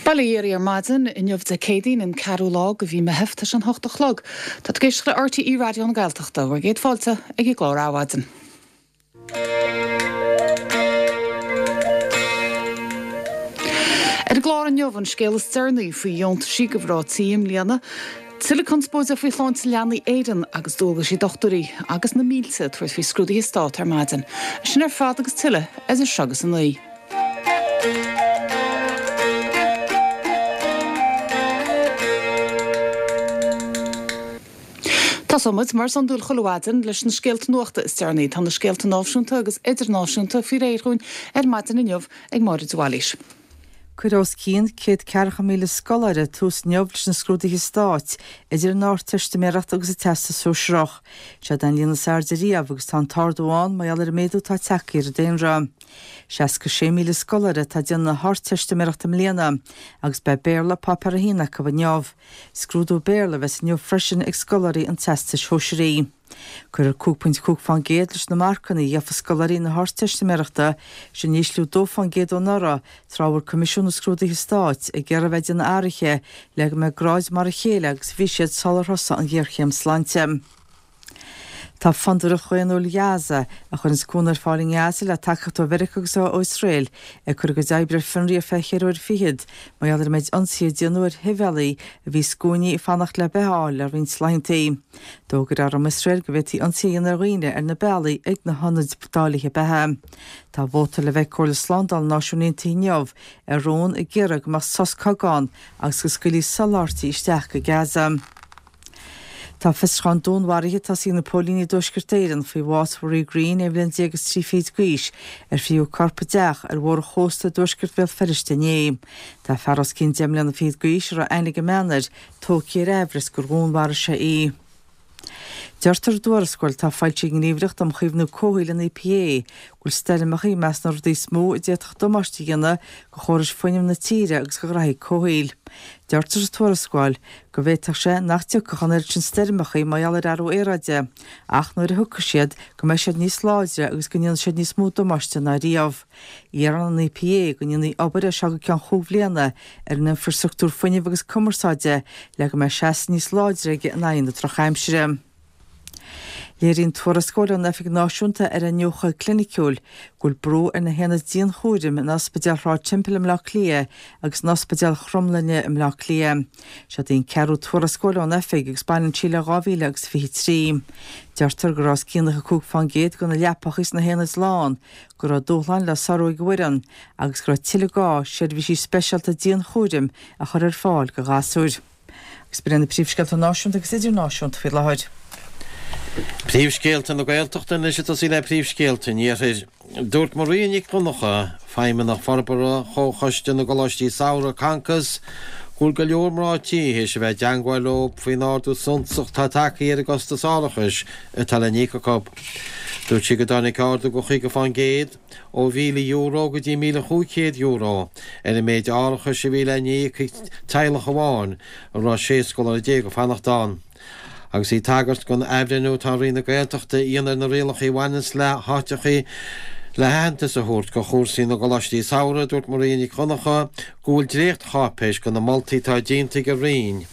Bail ó Dhia oraibh ar maidin, inniu Dé Céadaoin an ceathrú lá de mhí Meitheamh, tá sé an hocht a chlog. Tá tú ag éisteacht le RTÉ Raidió na Gaeltachta, bhur gcéad fáilte ag an gclár Adhmhaidin. Ar an gclár inniu, an scéal is deireanaí faoi dheontaisí do mhná tí i mbliana, tuilleadh conspóide faoi shláinte leanaí Éireann agus dualgaisí dochtúirí, agus na mílte ag tabhairt faoi scrúduithe stáit ar maidin. Sin ar fad agus tuilleadh idir seo agus a 9. Tosóidh muid, mar is iondúil chuile mhaidin, leis na scéalta nuachta is deireanaí. Tá na scéalta náisiúnta agus idirnáisiúnta faoi réir dhúinn ar maidin inniu ag Máire de Bhailís. Cuirfidh os cionn 140,000 scoláire tús inniu leis na scrúduithe stáit, idir an Ardteistiméireacht agus an Teastas Sóisearach. Seod é an líon is airde riamh agus tá an t-ardú ann mar gheall ar an méadú atá tagtha ar an daonra. 66,000 scoláire atá ag déanamh na hArdteistiméireachta i mbliana agus beidh Béarla Páipéar 1 acu inniu. Scrúdú Béarla a bheas inniu freisin ag scoláirí an Teastais Shóisearaigh. Cuirfear 5.5% leis na marcanna a gheofa scoláirí na hArdteistiméireachta, sin ísliú 2% ó anuraidh, tráth a bhfuil Coimisiún na Scrúduithe Stáit ag iarraidh a bheith ag déanamh athruithe le go mbeidh gráid mar a chéile agus a bhí siad sular thosaigh an ghéarchéim sláinte. Tá Fondúireacht Dhaonnúil Ghaza, a chuireanns cúnamh ar fáil i nGaza le tacaíocht ó Mheiriceá agus ó Iosrael, ag cur a gcuid oibre ar fionraí ar feadh cheithre uair fichead mar gheall ar an méid ionsaithe a déanadh ar shibhialaigh a bhí i scuainí ag fanacht le beatha a fháil le roinnt laethantaí. D'fhógair arm Iosrael go bhféadfaí ionsaí a dhéanamh ar dhaoine ar na bealaí ag na hionaid dáilithe beatha. Tá vóta le bheith ag Comhairle Slándála na Náisiún Aontaithe inniu ar rún ag iarraidh go mbeadh sos cogaidh ann agus go scaoilfí soláthairtí isteach go Gaza. Tá fiosrúchán dúnmharaithe tosaithe ag na póilíní i dTuaisceart Éireann faoi bhás Mharie Greene, 11 bhliain is trí fichid d'aois, ar frítheadh a corp i dteach ar bhóthar an chósta i dtuaisceart Bhéal Feirste inné. Tá fear os cionn 10 mbliana fichead d'aois, a raibh aithne ag an mbean air, tógtha ar aimhreas gur dhúnmharaigh sé í. Deirtear i dtuarascáil atá foilsithe ag an nGníomhaireacht um Chaomhnú Comhshaoil, an EPA, go bhfuil stoirmeacha i measc na rudaí is mó a d'fhéadfadh damáiste a dhéanamh do chórais fuinnimh na tíre agus do ghnaithí comhshaoil. Deirtear sa tuarascáil go bhféadfadh sé nach dtiocfadh an oiread sin stoirmeacha mar gheall ar athrú aeráide, ach nuair a thiocfaidh siad, go mbeidh siad níos láidre agus go ndéanfaidh siad níos mó damáiste ná riamh. Iarrann an EPA go ndéanfaí obair as seo go ceann chúig bhliana ar an infreastruchtúr fuinnimh agus cumarsáide le go mbeidh seasamh níos láidre aige in aghaidh na drochaimsire. Léiríonn tuarascáil ón Oifig Náisiúnta ar Iniúchadh Cliniciúil go bhfuil brú ar na haonaid dianchúraim in Ospidéal Shráid Temple i mBleá Cliath agus in Ospidéal Chromghlinne i mBleá Cliath. Seod í an ceathrú tuarascáil ón Oifig agus baineann sí le 2023. Deirtear go raibh os cionn 95% de na leapacha sna haonaid lán, go raibh dúshláin le sárú ag an bhfoireann agus go raibh tuilleadh gá seirbhísí speisialta dianchúraim a chur ar fáil do ghasúir. Agus b'in iad na príomhscéalta náisiúnta agus idirnáisiúnta faoi láthair. Príomhscéalta na Gaeltachta anois ag tosaí le príomhscéalta an Iarthair. Dúirt Maria Nic Dhonncha, Feidhmeannach Forbartha Chomhchoiste na gColáistí Samhraidh, Concos, go bhfuil go leor mná tí théis a bheith i dteangmháil leo faoin ardú suntasach atá tagtha ar an gcostas árachais atá le n-íoc acu. Dúirt sí go dtáinig ardú de 50% ó €1,000 go dtí €1,500 ar an méid árachais a bhí le n-íoc ag teaghlach amháin a raibh 16 scoláire ag fanacht ann. Agus í ag tagairt don athbhreithniú atá Roinn na Gaeltachta a dhéanamh ar na rialacha a bhaineanns le háiteachaí le haitheantas a thabhairt do chúrsaí na gcoláistí samhraidh, dúirt Maria Nic Dhonncha go bhfuil dréacht-cháipéis de na moltaí atá déanta ag an Roinn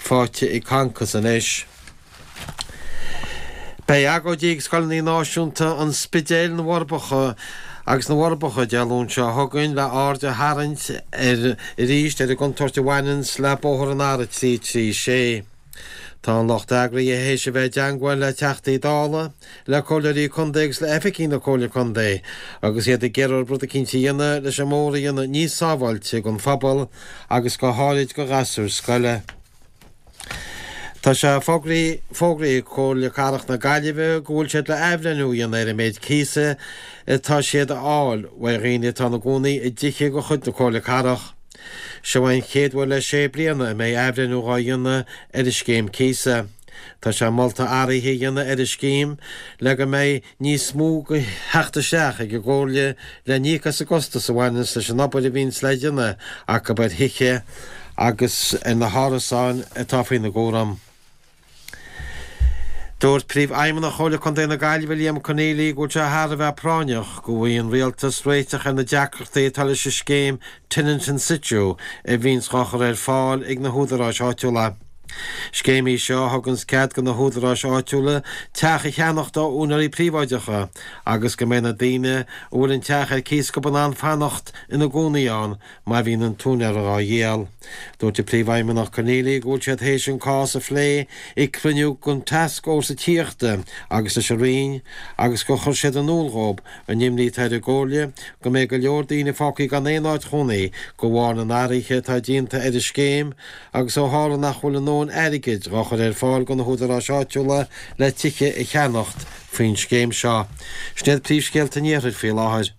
faighte ag Concos anois. Beidh agóidí ag scoileanna náisiúnta an Spidéil, na bhForbacha agus na bhForbacha Dé Luain seo chugainn le aird a tharraingt ar arís ar an gcontúirt a bhaineanns le bóthar an R336. Tá an lucht eagraithe théis a bheith i dteangmháil le Teachtaí Dála, le Comhairleoirí Contae agus le oifigigh na Comhairle Contae agus iad ag iarraidh rud eicínt a dhéanamh leis an mbóthar a dhéanamh níos sábháilte don phobal agus go háirid do ghasúir scoile. Tá sé fógraithe ag Comhairle Cathrach na Gaillimhe go bhfuil siad le athbhreithniú a dhéanamh ar an méid cíosa atá siad a fháil uaidh dhaoine atá ina gcónaí i dtithe de chuid na Comhairle Cathrach. Seo é an chéad uair le sé bliana a mbeidh athbhreithniú dhá dhéanamh ar an scéim cíosa. Tá sé molta athruithe a dhéanamh ar an scéim le go mbeidh níos mó de theacht isteach ag an gComhairle le n-íoc as an gcostas a bhaineanns leis an obair a bhíonns le déanamh acu ar thithe agus ar na hárasáin atá faoina gcúram. Dúirt Príomhfheidhmeannach Chomhairle Contae na Gaillimhe Liam Conneely go bhfuil sé thar a bheith práinneach go bhfaighidh an Rialtas réiteach ar na deacrachtaí atá leis an scéim Tenant in Situ a bhíonns dhá chur ar fáil ag na húdaráis áitiúla. Scéim í seo a thuganns cead do na húdaráis áitiúla teach a cheannacht ó úinéirí príobháideacha agus go mbeidh na daoine a bhfuil an teach ar cíos acu in ann fanacht ina gcónaí ann má bhíonn an t-úinéir dhá dhíol. Dúirt an Príomhfheidhmeannach Conneely go bhfuil siad théis an cás a phlé ag cruinniú den Tascfhórsa Tithíochta agus leis an Roinn agus gur chuir siad in iúl dhób an imní atá ar an gComhairle go mbeidh go leor daoine fágtha gan aon áit chónaí de bharr na n-athruithe atá déanta ar an scéim agus ó tharla nach bhfuil a ndóthain airgid dhá chur ar fáil do na húdaráis áitiúla le tithe a cheannacht faoin scéim seo. Sin iad príomhscéalta an Iarthair faoi láthair.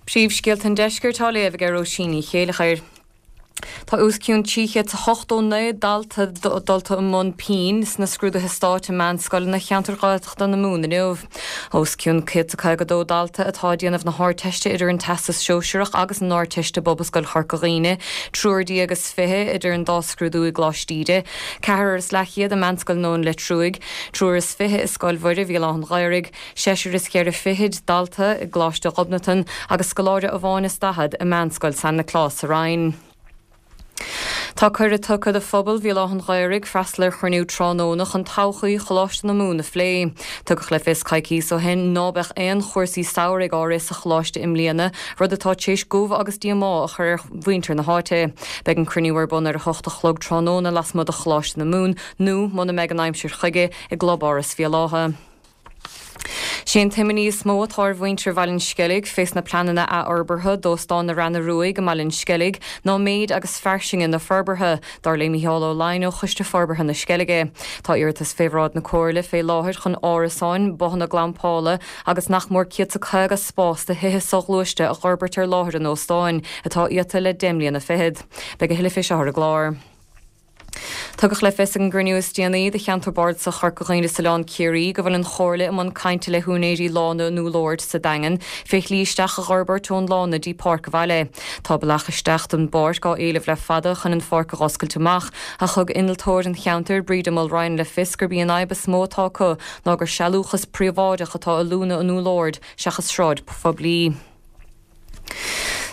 Príomhscéalta an Deiscirt á léamh ag Róisín Ní Chéileachair. Tá os cionn 389 dalta dulta i mbun pinn sna scrúduithe stáit i meánscoileanna cheantar Ghaeltachta na Mumhan inniu. Os cionn 152 dalta atá ag déanamh na hArdteiste idir an Teastas Sóisearach agus an Ardteist i bPobalscoil Chorca Dhuibhne, triúr déag is 20 idir an dá scrúdú i gColáiste Íde, ceathrar is leathchéad i Meánscoil an Nóin Leitriúigh, triúr is 20 i Scoil Mhuire Bhéal Átha'n Ghaorthaidh, Seisear is cheithre fichid dalta i gColáiste Ghobnatan agus scoláire amháin is 40 i Meánscoil San Nioclás sa Rinn. Tá cuireadh tugtha do phobal Bhéal Átha'n Ghaorthaidh freastal ar chruinniú tráthnóna chun todhchaí Choláiste na Mumhan a phlé. Tugadh le fios coicíos ó shin ná beadh aon chúrsaí samhraidh á rith sa choláiste i mbliana, rud atá tar éis gomh agus díomá a chur ar mhuintir na háite. Beidh an cruinniú ar bun ar a hocht a chlog tráthnóna lasmuigh de Choláiste na Mumhan nó, muna mbeidh an aimsir chuige, i gClubáras Bhéal Átha. Sé an t-imní is mó atá ar mhuintir Bhaile an Sceilg fés na pleananna athfhorbartha d'Óstán na Reanna Ruaidh i mBaile an Sceilg ná méid agus fairsinge na forbartha, dar le Mícheál Ó Laighin ó Choiste Forbartha na Sceilge. Tá iarratas fé bhráid na Comhairle fé láthair chun árasáin, bothanna glampála agus nach mór 150 spás do thithe soghluaiste a dh'fhorbairt ar láthair an óstáin, atá iata le deich mbliana fichead. Beidh a thuilleadh fé seo ar an gclár. Tugadh le fios ag an gcruinniú is déanaí de Cheantar Bardasach Chorca Dhuibhne is Oileán Ciarraí go bhfuil an Chomhairle i mbun cainte le húinéirí Lána an Úll Oird sa Daingean fé shlí isteach a dh'fhorbairt ón lána dtí páirc an bhaile. Tá bealach isteach don bpáirc á éileamh le fada chun an pháirc a dh'oscailt amach ach thug innealtóir an cheantair, Breda Mulryan le fios gurb í an fhadhb is mó atá acu ná gur sealúchas príobháideach atá i Lána an Úll Oird seachas sráid phoiblí.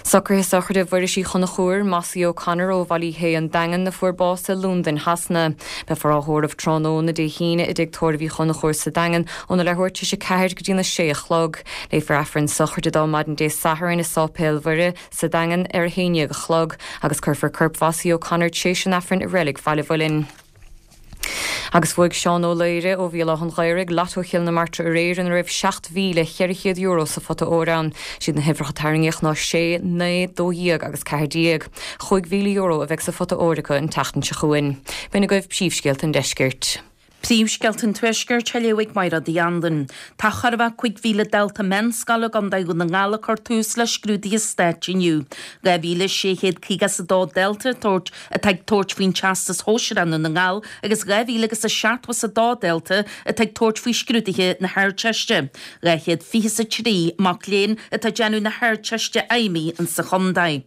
Socruithe sochraide Mhuiris Uí Chonchúir, Mossie O'Connor ó Bhaile Uí Shé, An Daingean, a fuair bás i Londain Shasana. Beifear á thórramh tráthnóna Dé hAoine i dTigh Tórraimh Uí Chonchúir sa Daingean óna leathuair tar éis 4 go dtína 6 a chlog. Léifear Aifreann sochraide dó maidin Dé Sathairn i Sáipéal Mhuire sa Daingean ar a 11 a chlog agus cuirfear corp Mhossie O'Connor tréis an Aifrinn i Reilig Bhaile Mhuilinn. Agus bhuaigh Seán Ó Laoire ó Bhéal Átha'n Ghaorthaidh Lotto Chill na Martra aréir ina raibh €7,400 sa phota óir ann. Siad na huimhreacha a tarraingíodh ná 6, 9, 12 agus 14. €5,000 a bheidh sa phota óir acu an tseachtain seo chugainn. B'in agaibh príomhscéalta an deiscirt. Príomhscéalta an Tuaiscirt á léamh ag Mairéad Uí Anluain. Tá chóir a bheith 5,000 dalta meánscoile i gContae Dhún na nGall ag cur tús le scrúduithe stáit inniu. 2,652 dalta ag tabhairt atá ag tabhairt faoin Teastas Shóisearach i nDún na nGall agus 2,000 agus a seachtó is a dó dalta atá ag tabhairt faoi scrúduithe na hArdteiste. 223 mac léinn atá ag déanamh na hArdteiste Fheidhmí insa chontae.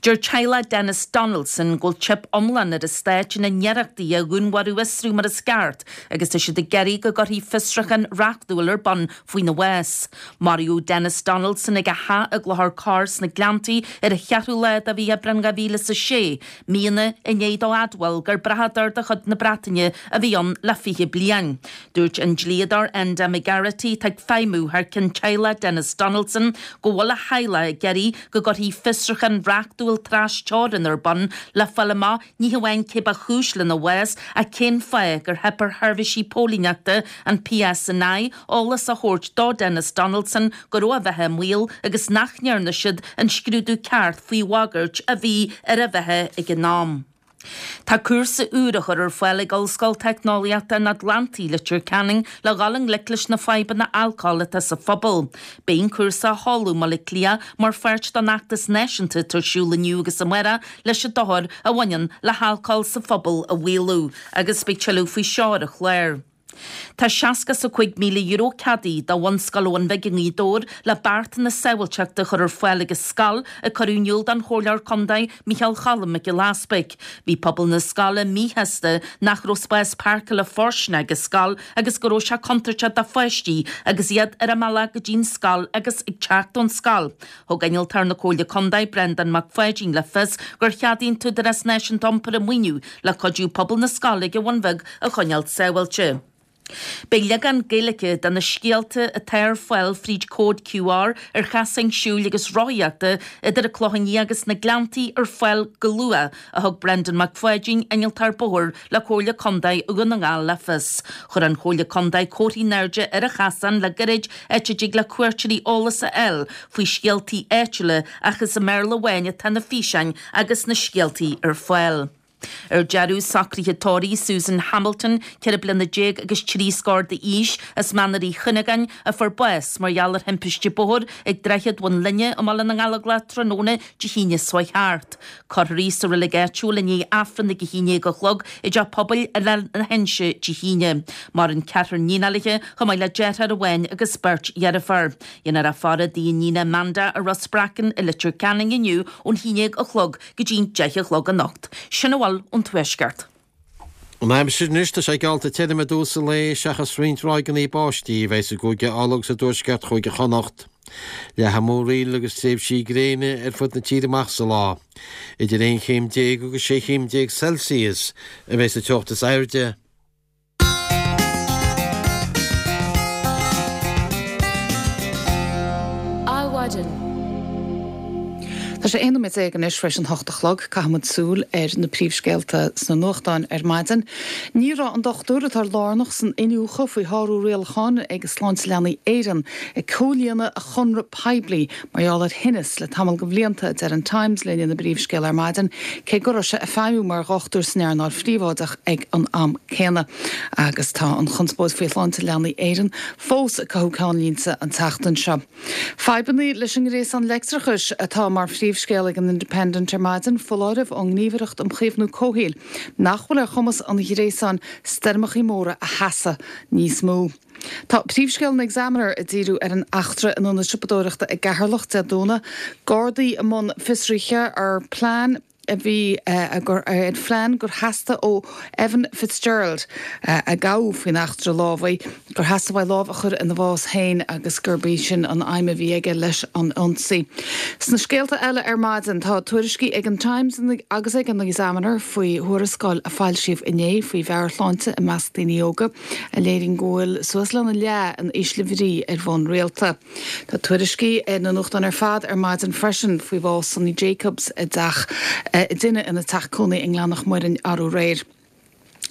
Deir teaghlach Denis Donaldson go bhfuil teip iomlán ar an Stát ina n-iarrachtaí a dhúnmharú a fhiosrú mar is ceart agus tá siad ag iarraidh go gcuirfí fiosrúchán reachtúil ar bun faoina bhás. Maraíodh Denis Donaldson ag a theach i gClochar Corr sna Gleanntaí ar an cheathrú lá de mhí Aibreán 2006, míonna i ndiaidh dó admháil gur brathadóir de chuid na Breataine a bhí ann le 20 bliain. Dúirt an dlíodóir Enda McGarrity, atá ag feidhmiú thar cionn teaghlach Denis Donaldson, go bhfuil a theaghlach ag iarraidh go gcuirfí fiosrúchán reachtúil tras-teorann ar bun le fáil amach ní hamháin cé ba chúis lena bhás ach cén fáth gur theip ar sheirbhísí póilíneachta an PSNI eolas a thabhairt do Denis Donaldson go raibh a bheatha i mbaol agus nach ndearna siad an scrúdú ceart faoi bhagairt a bhí ar a bheatha ag an am. Tá cúrsa úr á chur ar fáil ag Ollscoil Teicneolaíochta an Atlantaigh, Leitir Ceanainn, le dhul i ngleic leis na fadhbanna alcóil atá sa phobal. Beidh an cúrsa á sheoladh i mBaile Átha Cliath mar pháirt den fheachtas náisiúnta atá ar siúl inniu agus amárach leis an dochar a bhaineann le halcól sa phobal a mhaolú agus beidh tuilleadh faoi seo ar an chlár. Tá €65,000 ceadaithe do Bhunscoil Abhainn Bhig i nGaoth Dobhair le beartanna sábháilteachta a chur ar fáil ag an scoil, a cuireadh in iúl don Chomhairleoir Contae Micheál Cholm Mac Giolla Easpaig. Bhí pobal na scoile míshásta nach raibh spás páirceála fóirsteanach ag an scoil agus go raibh sé contúirteach do pháistí agus iad ar a mbealach go dtí an scoil agus ag teacht ón scoil. Thug Innealtóir na Comhairle Contae, Breandán Mac Pháidín le fios gur cheadaigh an tÚdarás Náisiúnta Iompair an maoiniú le cuidiú pobal na scoile ag an Bhun Bheag a choinneáil sábháilte. Beidh leagán Gaeilge de na scéalta atá ar fáil fríd cód QR ar chasáin siúil agus rothaíochta idir an Clochán Liath agus na Gleanntaí ar fáil go luath, a thug Brendan Mac Pháidín, Innealtóir Bóthair le Comhairle Contae Dhún na nGall le fios. Chuir an Chomhairle Contae comharthaí in airde ar an chasán le gairid, áit a dtig le cuairteoirí eolas a fháil faoi scéaltaí áitiúla ach is i mBéarla amháin atá na físeáin agus na scéaltaí ar fáil. Ar deireadh, socruithe tórraimh Susan Hamilton, 14 bliana agus 3 scór d'aois, as Manar Uí Chuinneagáin, a fuair bás mar gheall ar thimpiste bóthair ag Droichead Bhun Linne i mBaile na nGallóglach tráthnóna Dé hAoine seo thart. Cuirfear í sa reilig áitiúil i ndiaidh Aifreann ag 11 a chlog i dTeach Pobail Oileán na hInse Dé hAoine. Maireann ceathrar iníon léi, chomh maith le deartháir amháin agus beirt dheirfiúr. Déanfar í a faire i dtigh a iníne Amanda i Ros Breacain i Leitir Ceanainn inniu ón 11 a chlog go dtí'n 10 a chlog anocht. Sin a bhfuil ón Tuaisceart. An aimsir anois, tá sé geallta tirim i dtús an lae seachas roinnt ráigeanna báistí a bheidh i gCúige Uladh agus i dtuaisceart Chúige Chonnacht. Leathfaidh múraíl agus tréimhsí gréine ar fud na tíre amach sa lá. Idir 11 chéim agus 16 chéim Celsius a bheidh sa teocht is airde. Adhmhaidin. Tá sé 11 nóiméad anois tar éis an hocht a chlog. Caithfidh muid súil ar na príomhscéalta sna nuachtáin ar maidin. Ní raibh an dochtúir atá lárnach san iniúchadh faoi shárú rialachán ag Sláinte Leanaí Éireann ag comhlíonadh a chonradh poiblí mar gheall ar thinneas le tamall de bhlianta, a deir an Times linn ina bpríomhscéal ar maidin, cé go raibh sé ag feidhmiú mar dhochtúir san earnáil phríobháideach ag an am céanna. Agus tá an chonspóid faoi Shláinte Leanaí Éireann fós ag cothú ceannlínte an tseachtain seo. Fadhbanna leis an ngréasán leictreachais atá mar phríomhscéal ag an Independent ar maidin, foláireamh ón nGníomhaireacht um Chaomhnú Comhshaoil nach bhfuil ar chumas an ghréasáin stoirmeachaí móra a sheasamh níos mó. Tá príomhscéal an Examiner ag díriú ar an eachtra in ionad siopadóireachta i gCeatharlach Dé Domhnaigh, Gardaí i mbun fiosraithe ar plean a bhí ar phlean gur theastaigh ó Evan Fitzgerald, a gabhadh faoin eachtra lámhaigh, gur theastaigh uaidh lámh a chur ina bhás féin agus gurb í sin an aidhm a bhí aige leis an ionsaí. Sna scéalta eile ar maidin, tá tuairiscí ag an Times agus ag an Examiner faoi thuarascáil a foilsíodh inné faoi mheabhairshláinte i measc daoine óga. a léiríonn go bhfuil suas lena leath in ísle bhrí ar bhonn rialta. Tá tuairiscí na nuachtáin ar fad ar maidin freisin faoi bhás Sonny Jacobs i dteach i dtine ina teach cónaí i nGleann Mhic Muirinn arú aréir.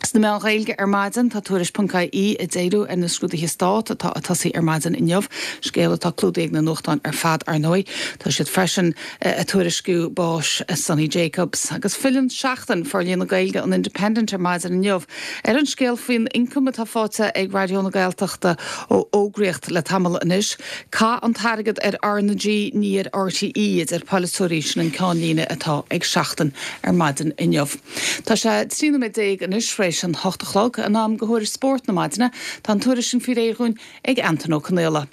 Sna meáin Ghaeilge ar maidin tá Tuairisc.ie ag díriú ar na scrúduithe Stáit atá ag tosaí ar maidin inniu, scéal atá clúdaithe ag na nuachtáin ar fad ar ndóigh. Tá siad freisin ag tuairisciú báis Sonny Jacobs. Agus filleann Seachtain, Forlíonadh Gaeilge an Independent ar maidin inniu Ar an scéal faoin ioncam atá faighte ag Raidió na Gaeltachta ó fhógraíocht le tamall anois, caith an t-airgead ar R na G, ní ar RTÉ, a deir polaiteoirí, sin an ceannlíne atá ag Seachtain ar maidin inniu. Tá sé 13 nóiméad anois tar éis an hocht a chlog, in am do thuairisc spóirt na maidine. Tá an tuairisc sin faoi réir dhúinn ag Antain Ó Conaola.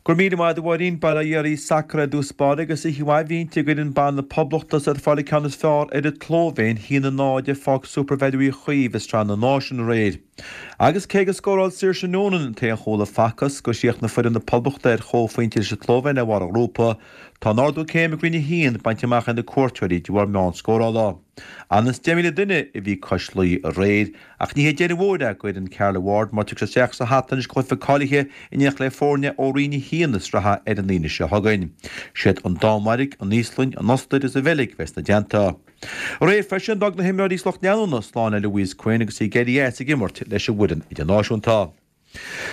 Go raibh míle maith agat a Mháirín. Bail ó Dhia oraibh, sacar i dtús báire agus oíche mhaith bhí inti ag fhoireann ban na Poblachta is iad ag fáil an ceann is fearr ar an tSlóivéin, 1-0 i bPáirc Supervalu Uí Chaoimh i Sraith na Náisiún aréir. Agus cé gur scóráil Saoirse Noonan an t-aon chúl a facthas gur chríochnaigh foireann na Poblachta ar chomhphointe leis an tSlóivéin ar bharr an ghrúpa, tá an ardú céime go Roinn 1 bainte amach ag na cuairteoirí de bharr meon scórála. Ionann is 10,000 duine a bhí cois Laoi aréir Ach ní hé deireadh mhór é d'fhoireann Carla Ward mar tiocfaidh siad isteach sa hata anois cluiche cáilithe in éineacht le foirne ó Roinn 1 na sraithe ar an Aoine seo chugainn. Siad an Danmhairg, an Íoslainn, an Ostair agus an Bheilg a bheas ina dteannta. Aréir freisin d'fhág na himreoirí is lucht leanúna slán le Louise Quinn agus í ag éirí as ag imirt leis an bhfoireann idirnáisiúnta.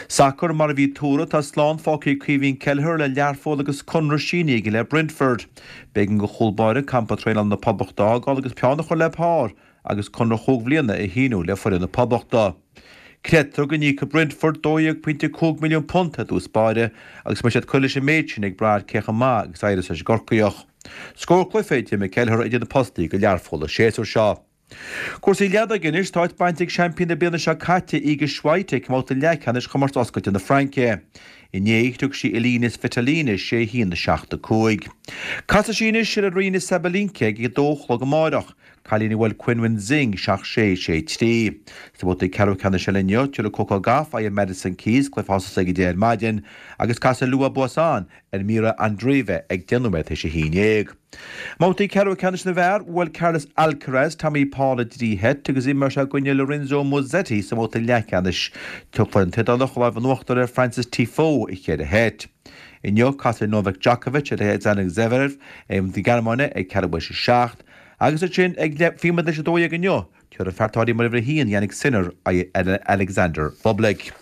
Sacar, Mar a bhí tuartha, tá slán fágtha ag Caoimhín Kelleher le Learpholl agus conradh sínithe aige le Brentford. B'éigean don chúl báire campa traenála na Poblachta a fhágáil agus peann a chur le pár agus conradh chúig bhliana a shíniú le foireann na Poblachta. Creidtear go n-íocfaidh Brentford £12.5 milliún i dtús báire agus go mbeidh siad ag cur leis an méid sin ag brath ar cé chomh maith agus a éireos leis an gCorcaíoch. Scór cluiche a d'imir Kelleher idir na postaí do Learpholl an séasúr seo. Cúrsaí leadóige anois, tá áit bainte ag seaimpín na bliana seo caite, Iga Swiatek, i mbabhta leathcheannais Chomórtas Oscailte na Fraince. Inné, shroich sí Elina Svitolina 6 1, 7 5. Casfaidh sí anois ar Aryna Sabalenka ag a dó a chlog amáireach, cailín a bhuail Qinwen Zheng 7 6, 6 3. Sna babhtaí ceathrú ceannais eile inniu, tabharfaidh Coco Gauff aghaidh ar Madison Keys, cluiche a thosós ag a 10 ar maidin, agus casfaidh Lou Buisson ar Mirra Andreeva ag 10 nóiméad théis a haon dhéag. I mbabhtaí ceathrú ceannais na bhfear, bhuail Carlos Alcaraz Tommy Paul i dtrí sheit agus imreoidh sé i gcoinne Lorenzo Musetti sa mbabhta leathcheannais. Fuair an tIodálach an lámh in uachtar ar Frances Tiafoe i cheithre sheit. Inniu, casfaidh Novak Djokovic ar Alexander Zverev na Gearmáine ag ceathrú théis a 7 agus ansin ag 12 théis 12 inniu, Tabharfaidh an fear atá mar uimhir 1, Jannik Sinner, aghaidh ar Alexander Bublik.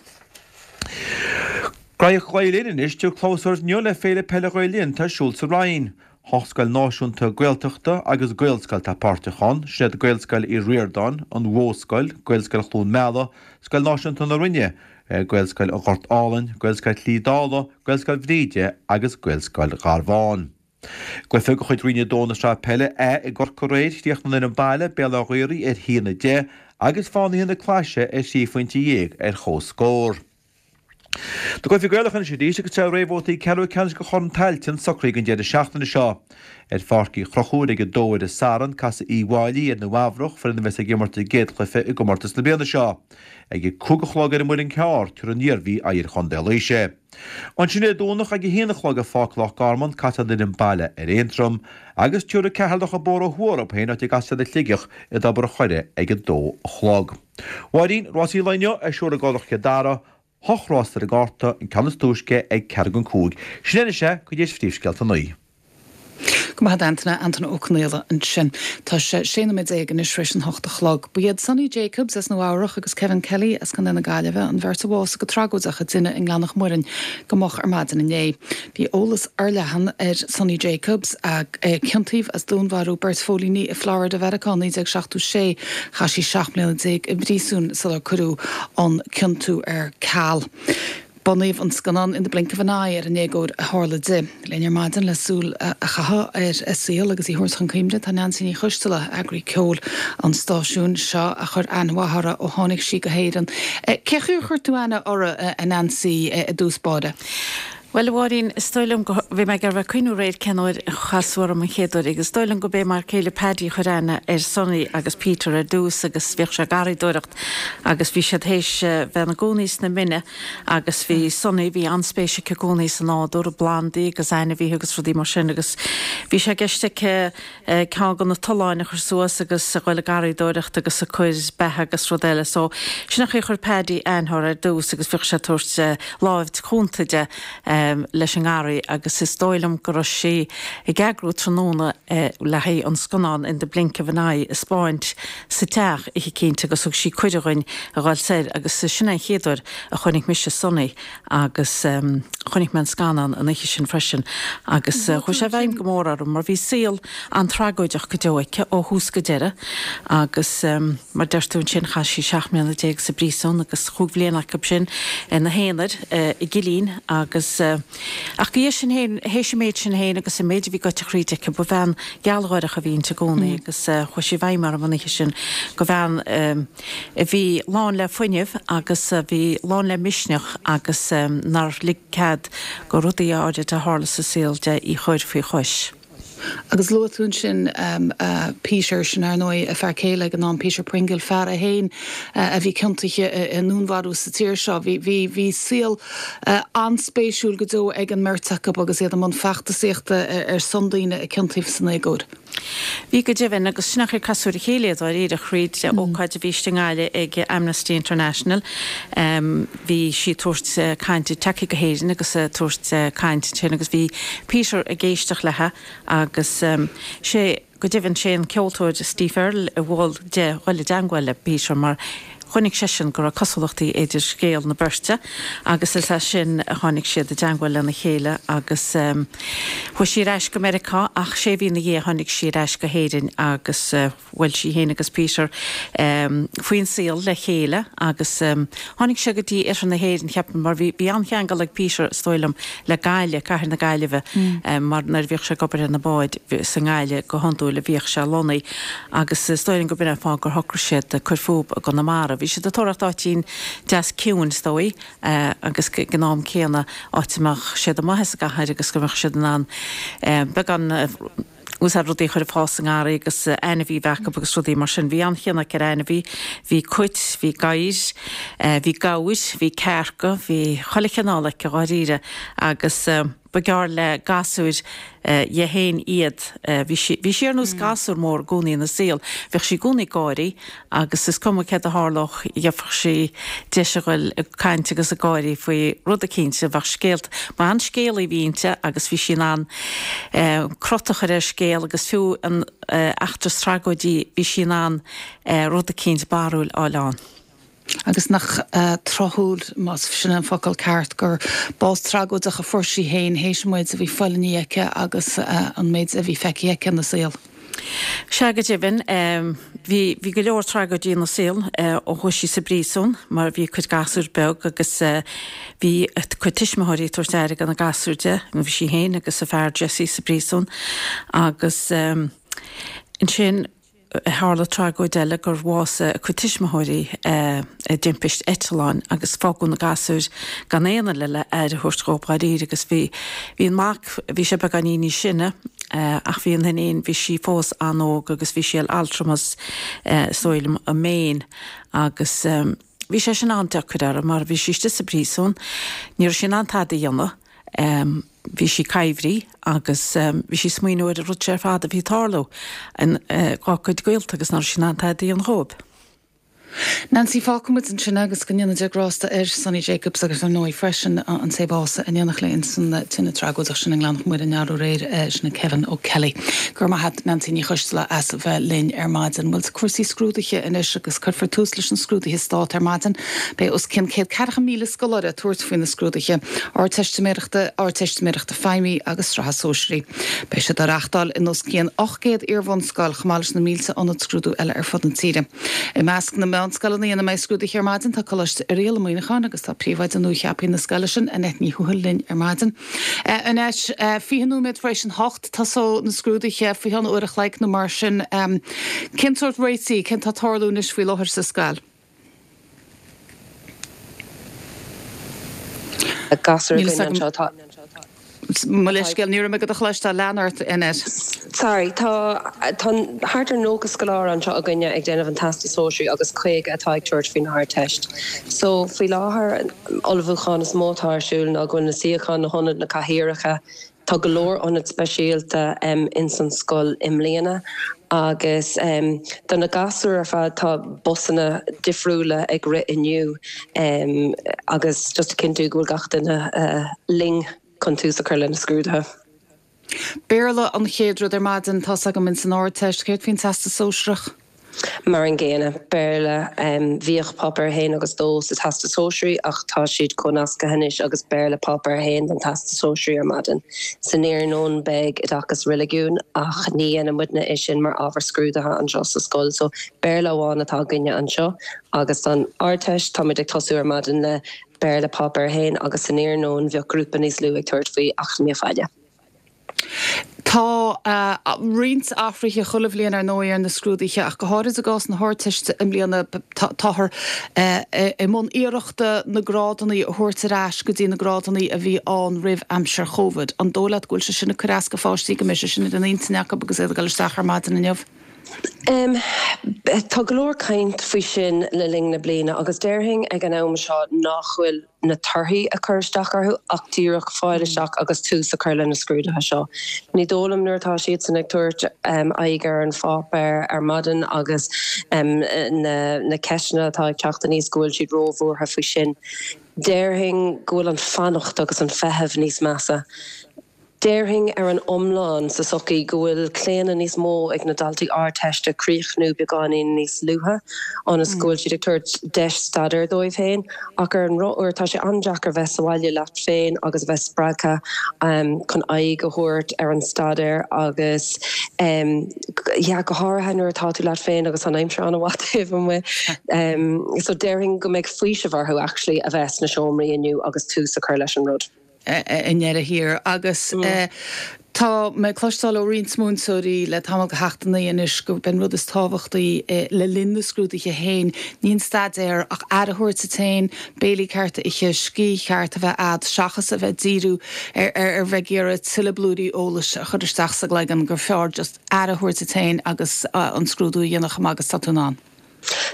Graíocht Ghael Linn anois, tabharfaidh clabhsúr inniu le Féile Peile Ghael Linn atá ar siúl sa Rinn. Hocht scoil náisiúnta Gaeltachta agus Gaelscoil atá páirteach ann, sin iad Gaelscoil Uí Ríordáin, An Mhodhscoil, Gaelscoil Chluain Meala, Scoil Náisiúnta na Rinne, Gaelscoil an Ghoirt Álainn, Gaelscoil Shlí Dála, Gaelscoil Bhríde agus Gaelscoil Gharbháin. Cluiche de chuid Roinn 2 na Sraithe Peile A i gCorcaigh aréir, chríochnaigh an fhoireann baile, Béal Átha Ghaorthaidh ar 1-10 agus Fánaithe na Claise ar thrí phointe dhéag ar comhscór. Na cluichí Gaelacha anois arís agus tá réamhbhabhtaí ceathrú ceannais de Chorn Tailteann socraithe don deireadh seachtaine seo. Ar Pháirc Uí Chonchúir ag a 2 ar an Satharn, casfaidh Uíbh Fhailí ar Naomh Eamhrach, foireann a bheas ag imirt a gcéad chluiche i gcomórtas na bliana seo. Ag a 5 a chlog ar an Muileann Cearr, tabharfaidh an Iarmhí aghaidh ar Chontae Laoise. Ansin Dé Domhnaigh ag a haon a chlog i Pháirc Loch Garman casfaidh an fhoireann baile ar Aontroim agus tabharfaidh Ceatharlach an bóthar ó thuaidh orthu féin áit a gcasfaidh siad ar Shligeach i dTobar an Choire ag a dó a chlog. Mháirín, Rásaí an lae inniu ar siúl i gCurrach Chill Dara, hocht rás ar an gcárta, an ceann is túisce ag ceathrú don chúig. Sin anois é, cuid des phríomhscéalta an lae. Go maith agat Antaine, Antaine Ó Conaola ansin. Tá sé 16 nóiméad anois tar éis an hocht a chlog. Ba iad Sonny Jacobs as Nua Eabhrach agus Kevin Kelly as Contae na Gaillimhe an bheirt a bhásaigh go tragóideach i dtine i nGleann an Mhuirinn go moch ar maidin inné. Bhí eolas fhorleathan ar Sonny Jacobs, a ciontaíodh as dúnmharú beirt phóilíní i Florida Mheiriceá i 1976. Chaith sí 17 mbliana i bpríosún sular cuireadh an ciontú ar ceal. Bunaíodh an scannán In the Blink of an Eye ar an éagóir a tharla di. Linn ar maidin le súil a chaitheamh ar a saol agus í a thabhairt chun cuimhne tá Neansaí Ní Choisteala, eagraí ceoil an stáisiúin seo a chuir aithne mhaith uirthi ó tháinig sí go hÉireann. Cé chaoi ar chuir tú aithne uirthi, a Neansaí, i dtús báire? Bhuel, a Mháirín, is dóigh liom go, bhí mé ag iarraidh cuimhniú aréir cén uair a chas tú orm an chéad uair agus is dóigh liom go b'é m'fhear céile Paddy a chuir aithne ar Sonny agus Peter ar dtús agus bhíodh sé ag garraíodóireacht agus bhí siad théis bheith ina gcónaí sna Mine agus bhí Sonny, bhí an-spéis aici i gcónaí sa nádúr, i bplandaí agus ainmhithe agus rudaí mar sin agus bhí sé i gceist aici ceann de na tolláin a chur suas agus a ghoil ag garraíodóireacht agus ag cur beatha agus rud eile. So sin an chaoi a chuir Paddy aithne uirthi ar dtús agus bhíodh sé ag tabhairt láimh chúnta di leis an ngarraí agus is dóigh liom go raibh sí ag eagrú tráthnóna le haghaidh an scannán In the Blink of an Eye a 'spáint sa teach oíche eicínt agus thug sí cuireadh dhuinn a dhul soir agus sin é an chéad uair a chonaic mise Sonny agus chonaic mé an scannán an oíche sin freisin agus chuaigh sé i bhfeidhm go mór orm mar bhí saol an-tragóideach go deo aici ó thús go deireadh agus mar deir tú ansin chaith sí 17 mbliana sa bpríosún agus chúig bhliana acu sin ina haonar i gcillín agus ach go dtí sin féin, théis an méid sin féin agus an méid a bhí goite thríd aici, ba bhean ghealgháireach a bhí inti i gcónaí agus chuaigh sí i bhfeidhm orm an oíche sin go bhean a bhí lán le fuinneamh agus a bhí lán le misneach agus nár lig cead go rudaí áirid a tharla sa saol di í chur faoi chois. Agus luaigh tú ansin Peter, sin ar ndóigh a fear céile ag an am, Peter Pringle, fear é féin a bhí ciontaithe i ndúnmharú sa tír seo. Bhí, bhí, bhí saol an-spéisiúil go deo ag an mbeirt acu agus iad i mbun feachtasaíochta ar son daoine a ciontaíodh san éagóir. Bhí go deimhin, agus sin an chaoi ar casadh ar a chéile iad dáiríre thríd ócáid a bhí istigh i nGaillimh ag Amnesty International. Bhí sí ag tabhairt cainte, tagtha go hÉirinn agus ag tabhairt caint ansin agus bhí Peter ag éisteacht léithe agus sé, go deimhin, sé an ceoltóir Steve Earle a mhol di dhul i dteangmháil le Peter mar. Chonaic seisean go raibh cosúlachtaí idir scéal na beirte agus is as sin a tháinig siad i dteangmháil lena chéile agus chuaigh sí ar ais go Meiriceá ach sé mhí ina dhiaidh tháinig sí ar ais go hÉirinn agus bhuail sí féin agus Peter faoin saol le chéile agus tháinig sé go dtí oirthear na hÉireann cheapfainn mar bhí bhí an-cheangal ag Peter is dóigh liom le Gaillimh, cathair na Gaillimhe mar nuair a bhíodh sé ag obair ar na báid is i nGaillimh go hiondúil a bhíodh sé lonnaithe agus is dóigh liom go b'in an fáth gur shocraigh siad cur fúb i gConamara. Bhí siad ag tóraíocht áitín deas ciúin is dóigh agus ag an am céanna áit a mbeadh siad amuigh as an gcathair agus go mbeadh siad in ann beagán úsáid rudaí a chur ag fás sa ngarraí agus ainmhí a bheith acu agus rudaí mar sin. Bhí an-chion aici ar ainmhí. Bhí cait, bhí gadhair, bhí gabhair, bhí cearca, bhí chuile chineál aici dháiríre agus ba gearr le gasúir dhi féin iad. Bhí sí, bhí sí ar nós gasúr mór i gcónaí ina saol. Bhíodh sí i gcónaí ag gáirí agus is cuma céard a tharlódh, gheobhadh sí deis a ghoil ag caint agus ag gáirí faoi rud eicínt, bheadh scéalta, ba an-scéalaí a bhí inti agus bhí sí in ann crot a chur ar scéal agus fiú an eachtra is tragóidí bhí sí in ann rud eicínt barrúil a fháil ann. Agus nach tráthúil, más sin an focal ceart, gur bás tragóideach a fuair sí féin théis an méid a bhí fulaingthe aici agus an méid a bhí feicthe aici ina saol. Sea, go deimhin, bhí, bhí go leor tragóidí ina saol ó chuaigh sí sa bpríosún mar bhí a cuid gasúr beag agus bhí a cuid tuismitheoirí ag tabhairt aire do na gasúir di, bhí sí féin agus a fear Jesse sa bpríosún agus ansin, Tharla tragóid eile gur bhásaigh a cuid tuismitheoirí i dtimpist eitleáin agus fágadh na gasúir gan aon duine le aire a thabhairt dhóibh dháiríre agus bhí bhí an mac, bhí sé beagáinín níos sine ach bhí an iníon, bhí sí fós an-óg agus bhí sí ar altramas is dóigh liom i Maine agus bhí sé sin an-deacair uirthi mar bhí sí istigh sa bpríosún, ní raibh sí in ann tada a dhéanamh. Bhí sí coimhthí agus bhí sí ag smaoineamh ar an rud seo ar fad a bhí ag tarlú dá cuid gaolta agus nach raibh sí in ann tada a dhéanamh dhóibh. Nancy, Fágfaidh muid ansin é agus go ndéana Dia grásta ar Sonny Jacobs agus ar ndóigh freisin an té a bhásaigh in éineacht léi ins an tine tragóideach sin i nGleann Mhuire aréir, sin é Kevin O'Kelly. Go raibh maith a't Nancy Ní Choisteala as a bheith linn ar maidin. Bhuel, cúrsaí scrúduithe anois agus cuirfear tús leis na scrúduithe Stáit ar maidin. Beidh os cionn 104,000 scoláire ag tabhairt faoi na scrúduithe Ardteistiméireachta, Ardteistiméireachta Feidhmí agus Sraithe Sóisearaí. Beidh siad á reáchtáil in os cionn 800 iar-bhunscoil chomh maith leis na mílte ionad scrúdú eile ar fud na tíre. I measc na meánscoileanna ina mbeidh scrúduithe ar maidin tá Coláiste Oiriall i Muineachán agus tá príomhoide nua-cheaptha na scoile sin, Annette Ní Thuathail linn ar maidin. Annette, 20 nóiméad tar éis an hocht, tosóidh na scrúduithe faoi cheann uair a chloig nó mar sin. Cén sórt réitigh, cén tá ag tarlú anois faoi láthair sa scoil? Gasúr againn anseo tá. Mo leithscéal, ní raibh mé do do chloisteáil, lean ort, Annette. Sorry, tá tá thart ar 90 scoláire anseo againne ag déanamh an Teastas Sóisearaigh agus 50 atá ag tabhairt faoin Ardteist. So, faoi láthair, an ullmhúchán is mó atá ar siúl ná go bhfuil na suíocháin, na hionaid, na cathaoireacha, Tá go leor ionad speisialta ins an scoil i mbliana agus do na gasúir ar fad tá busanna difriúla ag rith inniu agus just a chinntiú go bhfuil gach duine linn chun tús a chur le na scrúduithe. Béarla an chéad rud ar maidin, tá's agam ins an Ardteist. Céard faoin Teastas Sóisearach? Mar an gcéanna, Béarla. Bhíodh Páipéar 1 agus 2 sa Teastas Sóisearaí ach tá siad comhnasctha anois agus Béarla Páipéar 1 don Teastas Sóisearaí ar maidin. San iarnóin beidh Oideachas Reiligiúin ach ní dhéanann muidne é sin mar ábhar scrúdaithe anseo sa scoil so Béarla amháin atá againne anseo agus don Ardteist táimid ag tosú ar maidin le Béarla Páipéar 1 agus san iarnóin bheadh grúpa níos lú ag tabhairt faoi Eacnamaíocht Bhaile. Tá roinnt athruithe chuile bhliain ar ndóigh ar na scrúduithe ach go háirid i gcás na hArdteiste i mbliana táthar i mbun iarrachta na grádanna a thabhairt ar ais go dtí na grádanna a bhí ann roimh aimsir Chóvid. An dóigh leat go bhfuil sé sin ag cur as do pháistí, go mbeidh sé sin ar an intinn acu agus iad ag dul isteach ar maidin inniu? Tá go leor caint faoi sin le linn na bliana agus déarfainn ag an am seo nach bhfuil na torthaí ag cur isteach orthu ach díreach fáil isteach agus tús a chur le na scrúduithe seo. Ní dóigh liom nuair atá siadsan ag tabhairt aghaidh ar an pháipéar ar maidin agus na ceisteanna atá ag teacht aníos go bhfuil siad róbhuartha faoi sin. Déarfainn go bhfuil an fanacht agus an feitheamh níos measa. Déarfainn ar an iomlán sa tsochaí go bhfuil claonadh níos mó ag na daltaí Ardteiste críochnú beagáinín níos luaithe ionas go bhfuil siad ag tabhairt deis staidéir dóibh féin ach ar an ndrochuair tá sé an-deacair bheith sa bhaile leat féin agus a bheith spreagtha chun aghaidh a thabhairt ar an staidéar agus yeah go háirithe nuair atá tú leat féin agus an aimsir an-mhaith taobh amuigh. So déarfainn go mbeidh faoiseamh orthu actually a bheith sna seomraí inniu agus tús a chur leis an rud. i ndeireadh thiar. Agus tá mé ag cloisteáil ó roinnt múinteoirí le tamall de sheachtainí anois gurb é an rud is tábhachtaí le linn na scrúduithe féin, ní an staidéar ach aire a thabhairt duit féin, béilí cearta a ithe, scíth cheart a bheith a'd, seachas a bheith ag díriú ar ar bheith ag iarraidh tuilleadh blúirí eolais a chur isteach sa gcloigeann, gur fearr just aire a thabhairt duit féin agus an scrúdú a dhéanamh chomh maith agus atá tú in ann.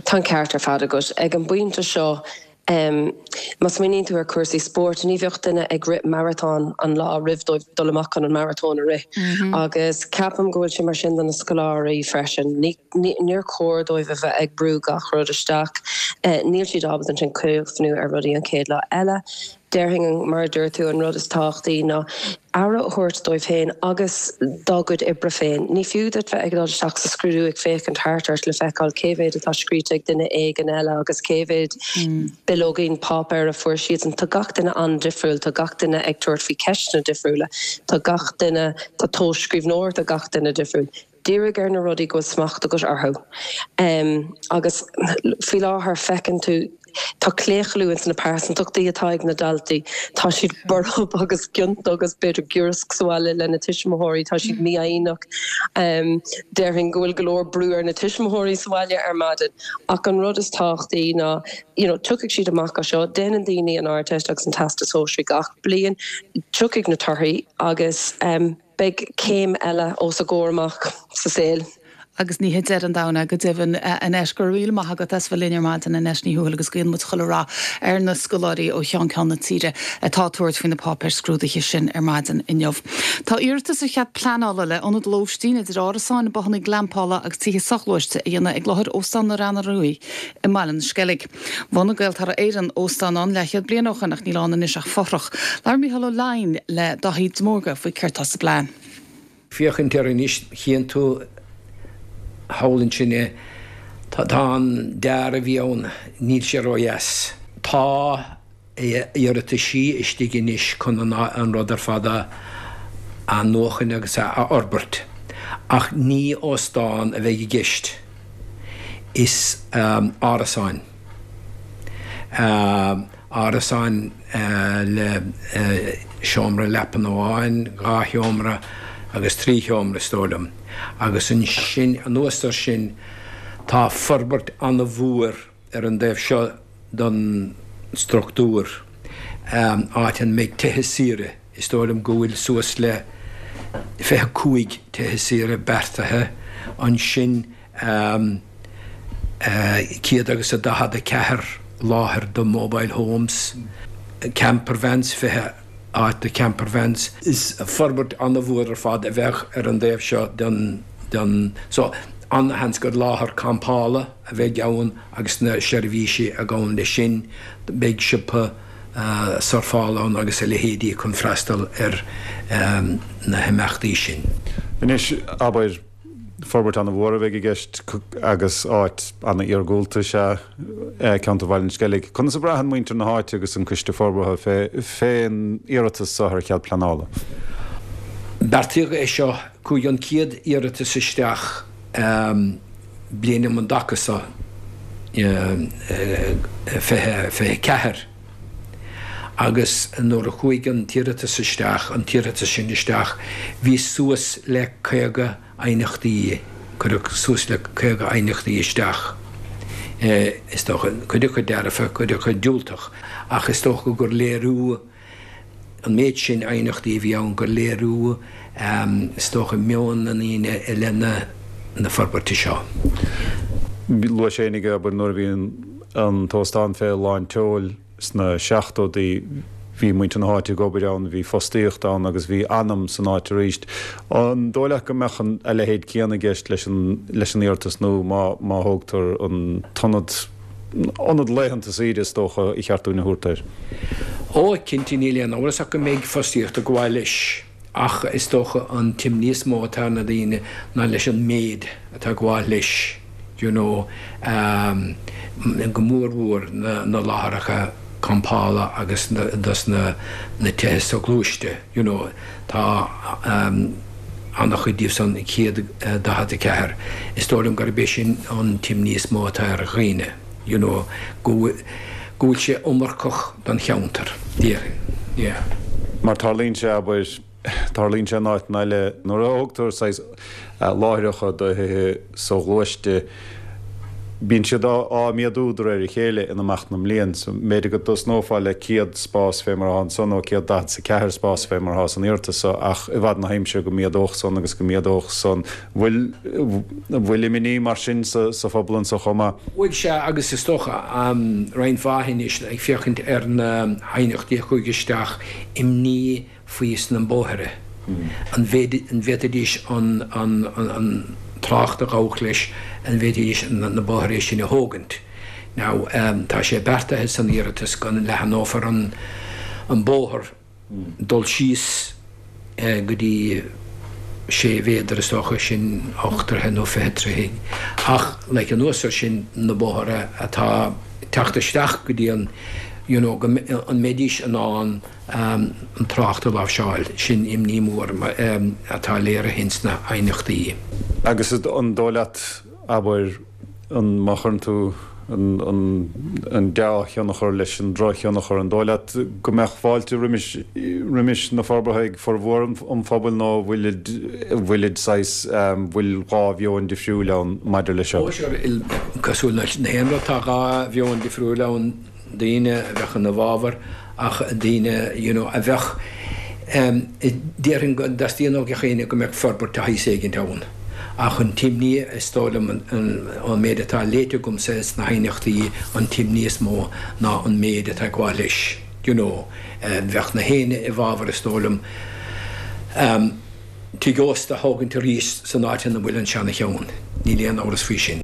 Tá an ceart ar fad agat. Ag an bpointe seo, Má smaoiníonn tú ar chúrsaí spóirt, ní bheadh duine ag rith maratón an lá roimh dóibh dul amach chun an maratón a rith. Agus ceapaim go bhfuil sé mar sin do na scoláirí freisin. Níor chóir dóibh a bheith ag brú gach rud isteach. Níl siad ábalta ansin cuimhniú ar rudaí an chéad lá eile. Déarfainn, mar a dúirt tú, an rud is tábhachtaí ná aire a thabhairt dóibh féin agus dá gcuid oibre féin. Ní fiú duit bheith ag dul isteach sa scrúdú ag féachaint thart ort le feiceáil cé mhéad atá scríte ag duine éigin eile agus cé mhéad bileoigín páipéir a fuair siadsan. Tá gach duine an-difriúil, tá gach duine ag tabhairt faoi cheisteanna difriúla, tá gach duine, tá tomhas scríbhneoireachta gach duine difriúil. Dírigh ar na rudaí go bhfuil smacht agat orthu. Agus faoi láthair feiceann tú, tá claochlú ins na pearsantachtaí atá ag na daltaí. Tá siad borb agus ciontach agus b'fhéidir giorrasc sa bhaile lena tuismitheoirí, tá siad mífhoighneach. Déarfainn go bhfuil go leor brú ar na tuismitheoirí sa bhaile ar maidin. Ach an rud is tábhachtaí ná, you know, tiocfaidh siad amach as seo, déanann daoine an Ardteist agus an Teastas Sóisearaigh gach bliain, tiocfaidh na torthaí agus. Beidh céim eile os a gcomhair amach sa saol. Agus ní hé deireadh an domhain é, go deimhin. Annette, go raibh míle maith agat as bheith linn ar maidin, Annette Ní Thuathail, agus guíonn muid chuile rath ar na scoláirí ó cheann ceann na tíre atá ag tabhairt faoi na páipéir scrúdaithe sin ar maidin inniu. Tá iarratas ar chead pleanála le ionad lóistín idir árasáin, bothanna glampála agus tithe soghluaiste a dhéanamh ag láthair Óstán na Reanna Ruaidh i mBaile na Sceilg. Bhunaigh Gaeltarra Éireann óstán ann leathchéad bliain ó shoin ach níl ann anois ach fothrach. Labhair Mícheál Ó Leidhin le Daithí de Mórdha faoi céard tá sa bplean. Féachaint air anois, chíonn tú thall ansin é, tá an dearadh a bhí ann, níl sé ródheas. Tá iarrataisí istigh anois chun an rud ar fad a athnuachan agus a fhorbairt, ach ní óstán a bheidh i gceist, is árasáin. Árasáin le seomra leapan amháin, 2 sheomra agus 3 sheomra is dóigh liom. Agus ansin, anuas air sin, tá forbairt an-mhór ar an dtaobh seo den struchtúr, áit a mbeidh tithe saoire, is dóigh liom go bhfuil suas le 25 tithe saoire beartaithe ansin, 144 láthair do mobile homes, campervans, 20 áit do campervans. Is forbairt an-mhór ar fad a bheadh ar an dtaobh seo den, so an-sheans gur láthair campála a bheidh ann agus na seirbhísí a ghabhann leis sin, beidh siopa surfála ann agus a leithéidí chun freastal ar na himeachtaí sin. Anois, abair, forbairt an-mhór a bheidh i gceist agus áit an-iargúlta is ea ceantar Bhaile an Sceilg. Conas a bhraitheann muintir na háite agus an Coiste Forbartha fén iarratas seo ar chead pleanála? Beartaíodh é seo, chuaigh an chéad iarratas isteach bliain um an dtaca seo, 2024, agus nuair a chuaigh an t-iarratas isteach, an t-iarratas sin isteach, bhí suas le 50 aighneachtaí, cuireadh suas le 50 aighneachtaí isteach, is dócha, cuid acu dearfa, cuid acu diúltach, ach is dócha gur léiriú, an méid sin aighneachtaí a bhí ann gur léiriú, is dócha, meon na ndaoine i leith na forbairte seo. Luaigh sé fhéinig, abair, nuair a bhí an t-óstán fé lán tseoil sna seachtóidí, bhí muintir na háite ag obair ann, bhí fostaíocht ann agus bhí anam san áit arís. An dóigh leat go mbeadh a leithéid céanna i gceist leis an iarratas nua má má thógtar an t-ionad? Ionad laethanta saoire is dócha ba cheart dúinn a thabhairt air. Ó, cinnte, níl aon amhras ach go mbeidh fostaíocht ag gabháil leis. Ach is dócha an t-imní is mó atá ar na daoine ná leis an méid atá ag gabháil leis, you know, go mór mhór na láithreacha campála agus dos na tithe soghluaiste, you know, tá an-chuid díobh san 144. Is dóigh liom gurb é sin an t-imní is mó atá ar dhaoine, you know, go bhfuil sé iomarcach don cheantar, déarfainn, yeah. Mar tarlaíonn sé, abair, tarlaíonn sé in áiteanna eile, nuair a thógtar saghas láithreacha do thithe soghluaiste, bíonn siad á méadú de réir a chéile in imeacht na mblian. So, b'fhéidir go dtosnófá le 100 spás fé mar atá ansan nó 144 spás fé mar atá san iarratas so ach i bhfad na haimsire go méadódh san agus go méadódh san. Bhfuil, bhfuil imní mar sin sa, sa phobal anso chomh maith? Bhuel, sea, agus is dócha, roinnt mhaith anois ag féachaint ar na haighneachtaí a chuaigh isteach, imní faoi sna bóithre, an bhféadfaidís an trácht a ghabhfadh leis, an bhféadfaidís na bóithre sin a thógaint. Now, tá sé beartaithe san iarratas go leathnófar an bóthar dul síos go dtí sé mhéadar is dócha, sin 8 troithe nó 20 troithe, ach like anuas ar sin na bóithre atá ag teacht isteach go dtí an, you know, go an mbeidís in ann an trácht a láimhseáil. Sin imní mór atá léirithe ins na haighneachtaí. Agus an dóigh leat, abair, an, má chuireann tú an dea-thionchar leis an drochthionchar, an dóigh leat go mbeadh fáilte roimis, roimis na forbartha ag formhór an phobail nó bhfuilid, bhfuilid saghas, bhfuil dhá mheon difriúil ann maidir leis seo? Ó sure, cosúil le haon rud tá dhá mheon difriúil ann. daoine a bheadh ina bhfabhar ach daoine you know a bheadh em déarfainn go dteastaíonn ó gach éinne go mbeadh forbairt de shaghas éigint ann ach an t-imní is dóigh liom an ón méid atá léite agamsa sna haighneachtaí an t-imní is mó ná an méid atá ag gabháil leis you know bheadh na héinne i bhfabhar is dóigh liom em tigh ósta a thógaint arís san áit ina bhfuil an seana cheann níl aon amhras faoi sin.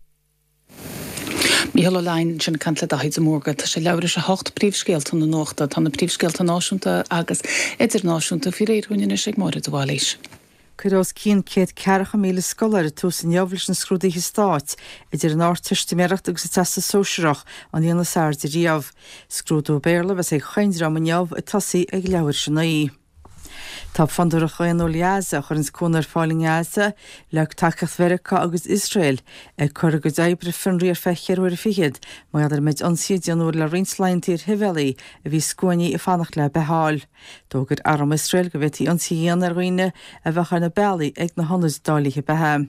Mícheál Ó Leidhin ansin ag caint le Daithí de Mórdha. Tá sé leathuair théis a hocht, príomhscéalta na nuachta. Tá na príomhscéalta náisiúnta agus idirnáisiúnta faoi réir dhúinn anois ag Máire de Bhailís. Cuireadh os cionn 140,000 scoláire tús inniu leis na scrúduithe stáit, idir an Ardteistiméireacht agus an Teastas Sóisearach, an líon is airde riamh. Scrúdú Béarla a bheas ag chaon dream inniu, ag tosaí ag leathuair théis a naoi. Tá Fondúireacht Dhaonnúil Ghaza, a chuireanns cúnamh ar fáil i nGaza, le tacaíocht Mheiriceá agus Iosrael, ag cur a gcuid oibre ar fionraí ar feadh cheithre huaire fichead mar gheall ar an méid ionsaí a déanadh le roinnt laethanta ar shibhialaigh a bhí scuainí ag fanacht le beatha a fháil. D'fhógair arm Iosrael go bhféadfaí ionsaí a dhéanamh ar dhaoine a bheadh ar na bealaí ag na hionaid dáilithe beatha.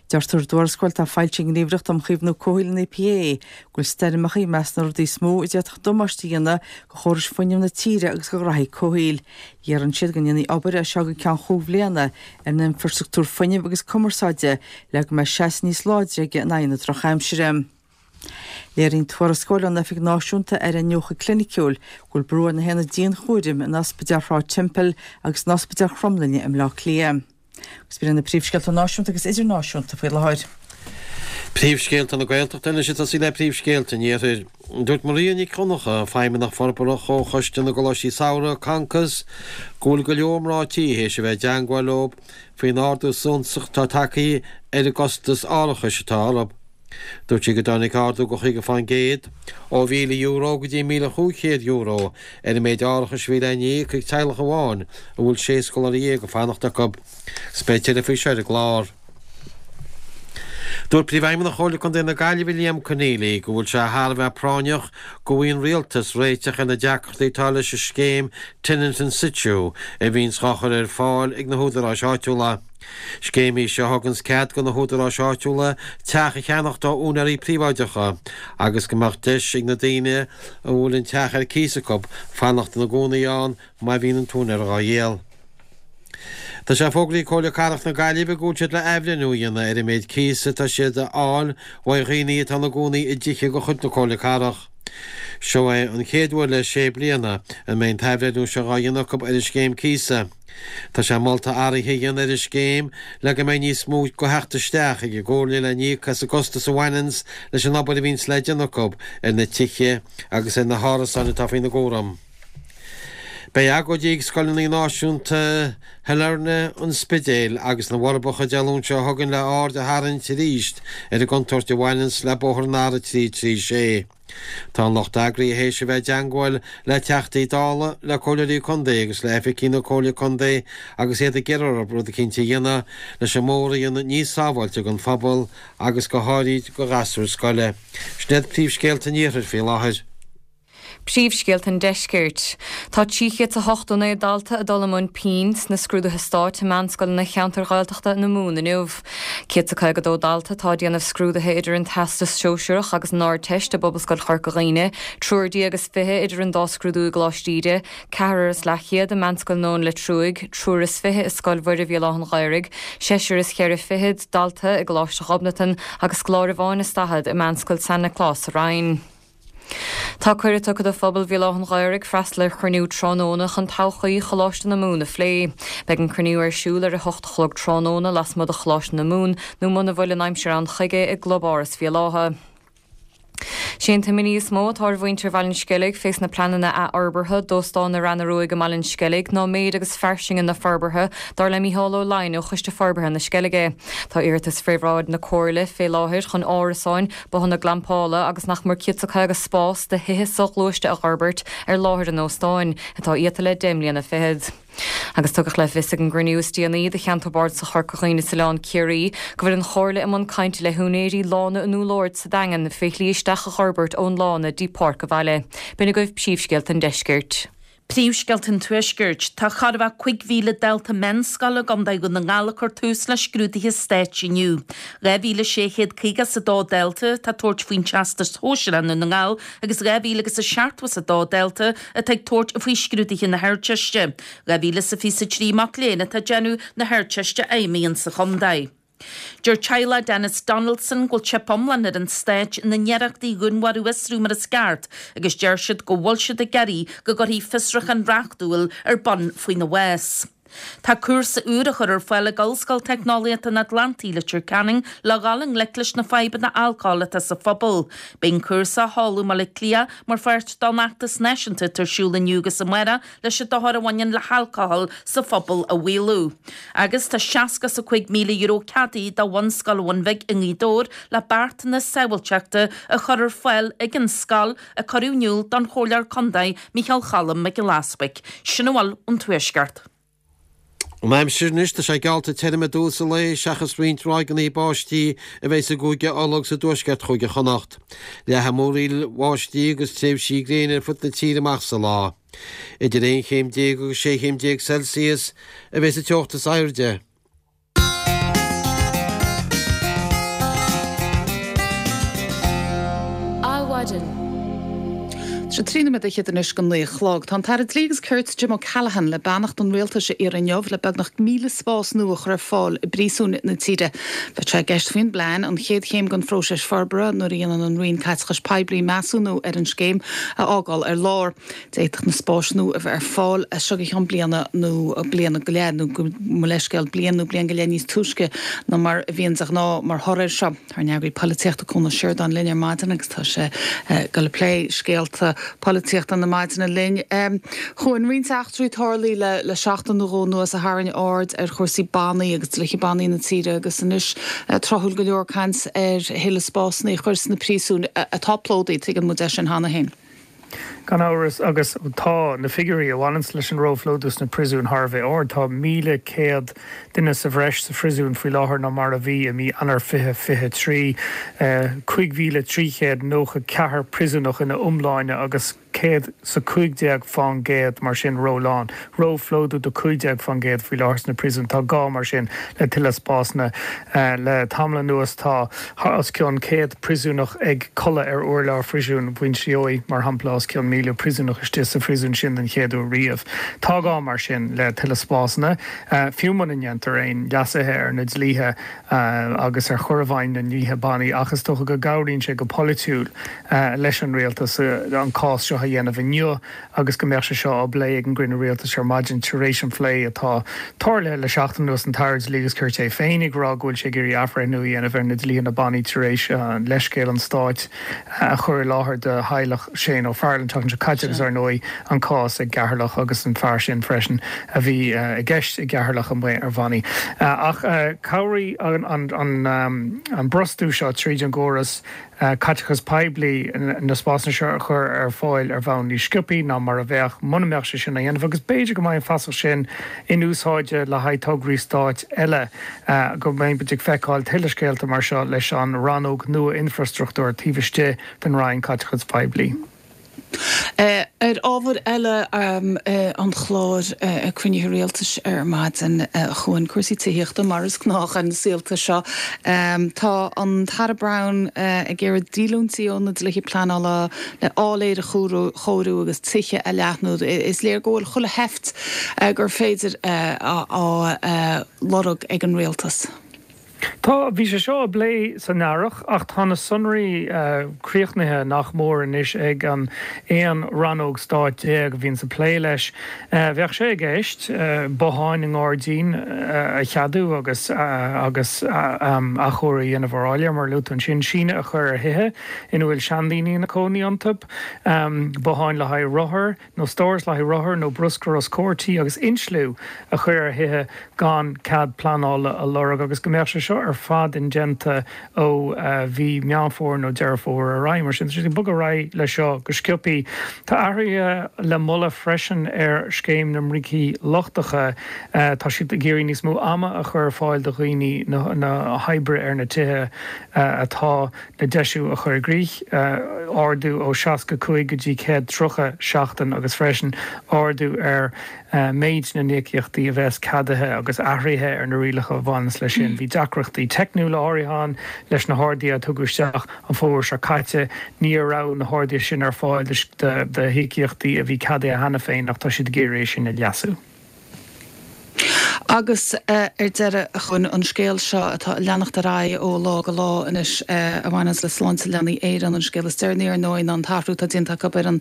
Deirtear i dtuarascáil atá foilsithe ag an nGníomhaireacht um Chaomhnú Comhshaoil, an EPA, go bhfuil stoirmeacha i measc na rudaí is mó a d'fhéadfadh damáiste a dhéanamh do chórais fuinnimh na tíre agus do ghraithí comhshaoil. Iarrann siad go ndéanfaí obair as seo go ceann chúig bhliana ar an infreastruchtúr fuinnimh agus cumarsáide le go mbeidh seasamh níos láidre aige in aghaidh na drochaimsire. Léiríonn tuarascáil ón Oifig Náisiúnta ar Iniúchadh Cliniciúil go bhfuil brú ar na haonaid dianchúraim in Ospidéal Shráid Temple agus in Ospidéal Chromghlinne i mBleá Cliath. Agus b'in iad na príomhscéalta náisiúnta agus idirnáisiúnta faoi láthair. Príomhscéalta na Gaeltachta anois ag tosaí le príomhscéalta an Iarthair. Dúirt Maria Nic Dhonncha, Feidhmeannach Forbartha Chomhchoiste na gColáistí Samhraidh, Concos, go bhfuil go leor mná tí théis a bheith i dteangmháil leo faoin ardú suntasach atá tagtha ar an gcostas árachais atá orthu. Dúirt sí go dtáinig ardú de 50%, ó €1,000 go dtí €1,500, ar an méid árachais a bhí le n-íoc ag teaghlach amháin a bhfuil 16 scoláire ag fanacht acu. Agus beidh tuilleadh faoi seo ar an gclár. Dúirt Príomhfheidhmeannach Chomhairle Contae na Gaillimhe Liam Conneely go bhfuil sé thar a bheith práinneach go bhfaigheann an Rialtas réiteach ar na deacrachtaí atá leis an scéim Tenant in Situ a bhíonns dhá chur ar fáil ag na húdaráis áitiúla. Scéim í seo a thuganns cead do na húdaráis áitiúla teach a cheannacht ó úinéirí príobháideacha agus go mbeadh deis ag na daoine a bhfuil an teach ar cíos acu fanacht ina gcónaí ann má bhíonn an t-úinéir dhá dhíol. Tá sé fógraithe ag Comhairle Cathrach na Gaillimhe go bhfuil siad le athbhreithniú a dhéanamh ar an méid cíosa atá siad a fháil uaidh dhaoine atá ina gcónaí i dtithe de chuid na Comhairle Cathrach. Seo é an chéad uair le sé bliana a mbeidh an t-athbhreithniú seo dhá dhéanamh acu ar an scéim cíosa. Tá sé molta athruithe a dhéanamh ar an scéim le go mbeidh níos mó de theacht isteach ag an gComhairle le n-íoc as an gcostas a bhaineanns leis an obair a bhíonns le déanamh acu ar na tithe agus ar na hárasáin atá faoina gcúram. Beidh agóidí ag scoileanna náisiúnta Shailearna, an Spidéil agus na bhForbacha Dé Luain seo chugainn le aird a tharraingt arís ar an gcontúirt a bhaineanns le bóthar an R336. Tá an lucht eagraithe théis a bheith i dteangmháil le Teachtaí Dála, le Comhairleoirí Contae agus le oifigigh na Comhairle Contae agus iad ag iarraidh orthu rud eicínt a dhéanamh leis an mbóthar a dhéanamh níos sábháilte don phobal agus go háirid do ghasúir scoile. Sin iad príomhscéalta an Iarthair faoi láthair. Príomhscéalta an Deiscirt. Tá 389 dalta ag dul i mbun pinn sna scrúduithe stáit i meánscoileanna cheantair Ghaeltachta na Mumhan inniu. 152 dalta atá ag déanamh scrúduithe idir an Teastas Sóisearach agus an Ardteist i bPobalscoil Chorca Dhuibhne, triúr déag is 20 idir an dá scrúdú i gColáiste Íde, ceathrar is leathchéad i Meánscoil na Leitriúigh, triúr is 20 i Scoil Mhuire Bhéal Átha'n Ghaorthaidh, seisear is cheithre fichid dalta i gColáiste Ghobnatan agus scoláire amháin is 40 i Meánscoil San Nioclás sa Rinn. Tá cuireadh tugtha do phobal Bhéal Átha'n Ghaorthaidh freastal ar chruinniú tráthnóna chun todhchaí Choláiste na Mumhan a phlé. Beidh an cruinniú ar siúl ar a hocht a chlog tráthnóna lasmuigh de Choláiste na Mumhan nó muna bhfuil an aimsir ann chuige i gClub-Áras Bhéal Átha. Sé an t-imní is mó atá ar mhuintir Bhaile an Sceilg fés na pleananna athfhorbartha d'Óstán na Reanna Ruaidh i mBaile an Sceilg ná méid agus fairsinge na forbartha, dar le Mícheál Ó Laighin ó Choiste Forbartha na Sceilge. Tá iarratas fré bhráid na Comhairle fé láthair chun árasáin, bothanna glampála agus nach mór 150 spás do thithe soghluaiste a dh'fhorbairt ar láthair an óstáin, atá iata le deich mbliana fichead. Agus tugadh le fios ag an gcruinniú is déanaí de Cheantar Bardasach Chorca Dhuibhne is Oileán Ciarraí go bhfuil an Chomhairle i mbun cainte le húinéirí Lána an Úll Aird sa Daingean fé shlí isteach a dh'fhorbairt ón lána dtí Páirc an Bhaile. B'in agaibh príomhscéalta an deiscirt. Príomhscéalta an Tuaiscirt. Tá chóir a bheith 5,000 dalta meánscoile i gContae Dhún na nGall ag cur tús le scrúduithe stáit inniu. 2,652 dalta atá ag tabhairt faoin Teastas Shóisearach i nDún na nGall agus 2,072 dalta atá ag tabhairt faoi scrúduithe na hArdteiste. 2,023 mac léinn atá ag déanamh na hArdteiste Fheidhmí insa chontae. Deir teaghlach Denis Donaldson go bhfuil teip iomlán ar an Stát ina n-iarrachtaí a dhúnmharú a fhiosrú mar is ceart agus deir siad go bhfuil siad ag iarraidh go gcuirfí fiosrúchán reachtúil ar bun faoina bhás. Tá cúrsa úr á chur ar fáil ag Ollscoil Teicneolaíochta an Atlantaigh, Leitir Ceanainn, le dhul i ngleic leis na fadhbanna alcóil atá sa phobal. Beidh an cúrsa á sheoladh i mBaile Átha Cliath mar pháirt don fheachtas náisiúnta atá ar siúl inniu agus amárach leis an dochar a bhaineann le halcóil sa phobal a mhaolú. Agus tá €65,000 ceadaithe do Bhunscoil Bhun Bhig i nGaoth Dobhair le beartanna sábháilteachta a chur ar fáil ag an scoil a cuireadh in iúl don Chomhairleoir Contae Micheál Cholm Mac Giolla Easbuic. Sin a bhfuil ón Tuaisceart. An aimsir anois, tá sé geallta tirim i dtús an lae seachas roinnt ráigeanna báistí a bheidh i gCúige Uladh agus i dtuaisceart Chúige Chonnacht. Leathfaidh múraíl bháistí agus tréimhsí gréine ar fud na tíre amach sa lá. Idir 11 chéim agus 16 chéim Celsius a bheidh sa teocht is airde. Adhmhaidin. Tá sé 13 nóiméad anois go 9 a chlog. Tá an tAire Dlí agus Cirt Jim O'Callaghan le beannacht an Rialtais a iarraidh inniu le beagnach 1,000 spás nua a chur ar fáil i bpríosúin na tíre. Beidh sé i gceist faoin bplean, an chéad chéim den phróiseas forbartha nuair a dhéanann an Roinn Caiteachais Poiblí measúnú ar an scéim, a fhágáil ar lár. D'fhéadfadh na spáis nua a bheith ar fáil as seo go ceann bliana nó bliana go leith, nó mo leithscéal, bliain nó bliain go leith níos túisce ná mar a bhíonn de ghnáth mar thoradh air seo. Tá ár n-eagraí polaitíochta Cuan Ó Seireadáin linn ar maidin agus tá sé ag dul ag plé scéalta polaitíochta na maidine linn. Chuain, roinnt eachtraí tarlaithe le seachtain nó dhó anuas a tharraing aird ar chúrsaí bannaí agus dlíthe bannaí na tíre agus anois tráthúil go leor caint ar thuilleadh spásanna a chur sna príosúin atá plódaithe, tuigeann muid é sin cheana féin. Gan amhras, agus tá na figiúirí a bhaineanns leis an róphlódú sna príosúin thar a bheith ard. Tá 1,100 duine sa bhreis sa phríosún faoi láthair ná mar a bhí i mí Eanáir 2023. 5,394 príosúnach ina iomláine agus 100 's 15 fán gcéad mar sin rólán. Róphlódú do 15 fán gcéad faoi láthair sna príosúin. Tá gá mar sin le tuilleadh spásanna. Le tamall anuas tá os cionn 100 príosúnach ag codladh ar urlár phríosún Mhuinseo, mar shampla, os cionn 1,000 príosúnach istigh sa phríosún sin den chéad uair riamh. Tá gá mar sin le tuilleadh spásanna, fiú muna ndéantar aon leasuithe ar na dlíthe agus ar chur i bhfeidhm na ndlíthe bannaí, ach is dócha go gcabhraíonn sé go polaitiúil leis an rialtas an cás seo a. a dhéanamh inniu agus go mbeadh sé seo á bplé ag an gcruinniú rialtais ar maidin tar éis an phlé atá tarlaithe le seachtain anuas, an tAire Dlí agus Cirt é féin ag rá go bhfuil sé ag iarraidh athbhreithniú a dhéanamh ar na dlíthe na bannaí tar éis leithscéal an Stáit a chur i láthair do theaghlach Shane Ó Fearghail an tseachtain seo caite agus ar ndóigh an cás i gCeatharlach agus an fear sin freisin a bhí i gceist i gCeatharlach amuigh ar bhannaí. Ach cabhróidh an brostú seo tríd an gcóras caiteachas poiblí na spásanna seo a chur ar fáil ar bhonn níos sciobthaí ná mar a bheadh muna mbeadh sé sin á dhéanamh agus b'fhéidir go mbeidh an feasacht sin in úsáid le haghaidh tograí stáit eile, go mbeidh muid ag feiceáil tuilleadh scéalta mar seo leis an rannóg nua infreastruchtúir taobh istigh den Roinn Caiteachais Phoiblí. Ar ábhar eile an chláir cruinnithe rialtais ar maidin chugainn, cúrsaí tithíochta mar is gnách ar na saolta seo. Tá an tAire Browne ag iarraidh díolúintí ó na dlíthe pleanála le áiléir a chóiriú agus tithe a leathnú. Is léir go bhfuil chuile sheift gur féidir á lorg ag an rialtas. Tá, bhí sé seo á bplé san earrach ach tá na sonraí críochnaithe nach mór anois ag an 11 rannóg stáit a bhíonns ag plé leis. Bheadh sé i gceist botháin i ngairdín a cheadú agus agus athchóiriú a dhéanamh ar áiléir, mar a luaigh tú ansin, síneadh a chur ar thithe ina bhfuil seandaoine ina cónaí iontu, botháin le haghaidh rothar. nó stóras le haghaidh rothar nó bruscar os comhair tí agus insliú a chur ar thithe gan cead pleanála a lorg agus go mbeadh sé seo ar fad indéanta ó mhí Meán Fómhair nó Deireadh Fómhair ar aghaidh. Mar sin, tá siad ag bogadh ar aghaidh leis seo go sciobthaí. Tá athruithe le moladh freisin ar scéim na mbrící lochtacha. Tá siad ag iarraidh níos mó ama a chur ar fáil do dhaoine na hoibre ar na tithe atá le deisiú a chur i gcrích, ardú ó 65 go dtí 130 seachtain agus freisin ardú ar mhéid na n-íocaíochtaí a bheas ceadaithe agus athruithe ar na rialacha a bhaineanns leis sin. Bhí deacrachtaí teicniúla áirithe ann leis na harduithe a tugadh isteach an fómhar seo caite. Ní raibh na harduithe sin ar fáil do híocaíochtaí a bhí ceadaithe cheana féin ach tá siad ag iarraidh é sin a leasú. Agus ar deireadh, a Chuain, an scéal seo atá ag leanacht ar aghaidh ó lá go lá anois a bhaineanns le Sláinte Leanaí Éireann, an scéal is deireanaí ar ndóigh ná an t-athrú atá déanta acu ar an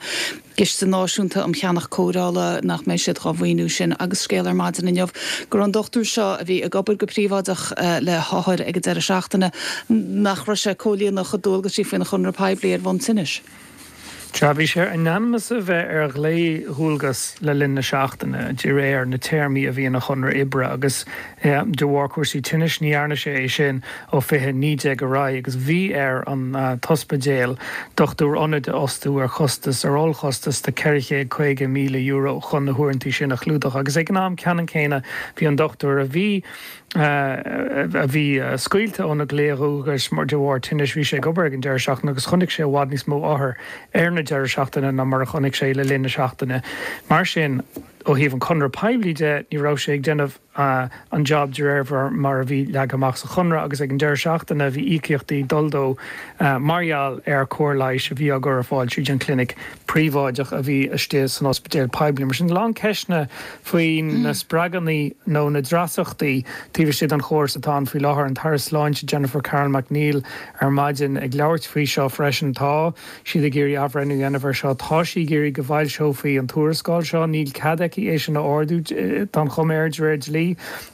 gCiste Náisiúnta um Cheannach Cóireála, nach mbeidh siad dhá mhaoiniú sin, agus scéal ar maidin inniu go raibh an dochtúir seo a bhí ag obair go príobháideach le hothair ag an deireadh seachtaine, nach raibh sé ag comhlíonadh a chuid dualgaisí faoina chonradh poiblí ar bhonn tinnis. Sea, bhí sé in ainm is a bheith ar ghlao-dhualgas le linn na seachtaine, de réir na téarmaí a bhí ina chonradh oibre, agus de bharr cúrsaí tinnis ní dhearna sé é sin ó 2019 ar aghaidh, agus bhí ar an t-ospidéal dochtúir ionaid a fhostú ar chostas, ar ollchostas de €450,000 chun na huaireanta sin a chlúdach. Agus ag an am ceannann céanna bhí an dochtúir a bhí. a bhí scaoilte óna ghlao-dhualgais de bharr tinnis. Bhí sé ag obair ag an deireadh seachtaine agus chonaic sé i bhfad níos mó othar ar na deireadh seachtaine ná mar a chonaic sé le linn na seachtaine. Mar sin, ó thaobh an chonradh poiblí de, ní raibh sé ag déanamh an job de réir mar a bhí leagtha amach sa chonradh agus ag an deireadh seachtaine bhí íocaíochtaí ag dul dó mar gheall ar chóir leighis a bhí á gcur ar fáil tríd an chlinic príobháideach a bhí istigh san ospidéal poiblí. Mar sin, a lán ceisteanna faoi na spreaganna nó na dreasachtaí taobh istigh den chóras atá ann faoi láthair. An tAire Sláinte Jennifer Carroll MacNeill ar maidin ag labhairt faoi seo freisin. Tá siad ag iarraidh athbhreithniú a dhéanamh air seo. Tá sí ag iarraidh go bhfoilseofaí an tuarascáil seo. Níl cead aici é sin a ordú, tá an chuma air, de réir dlí,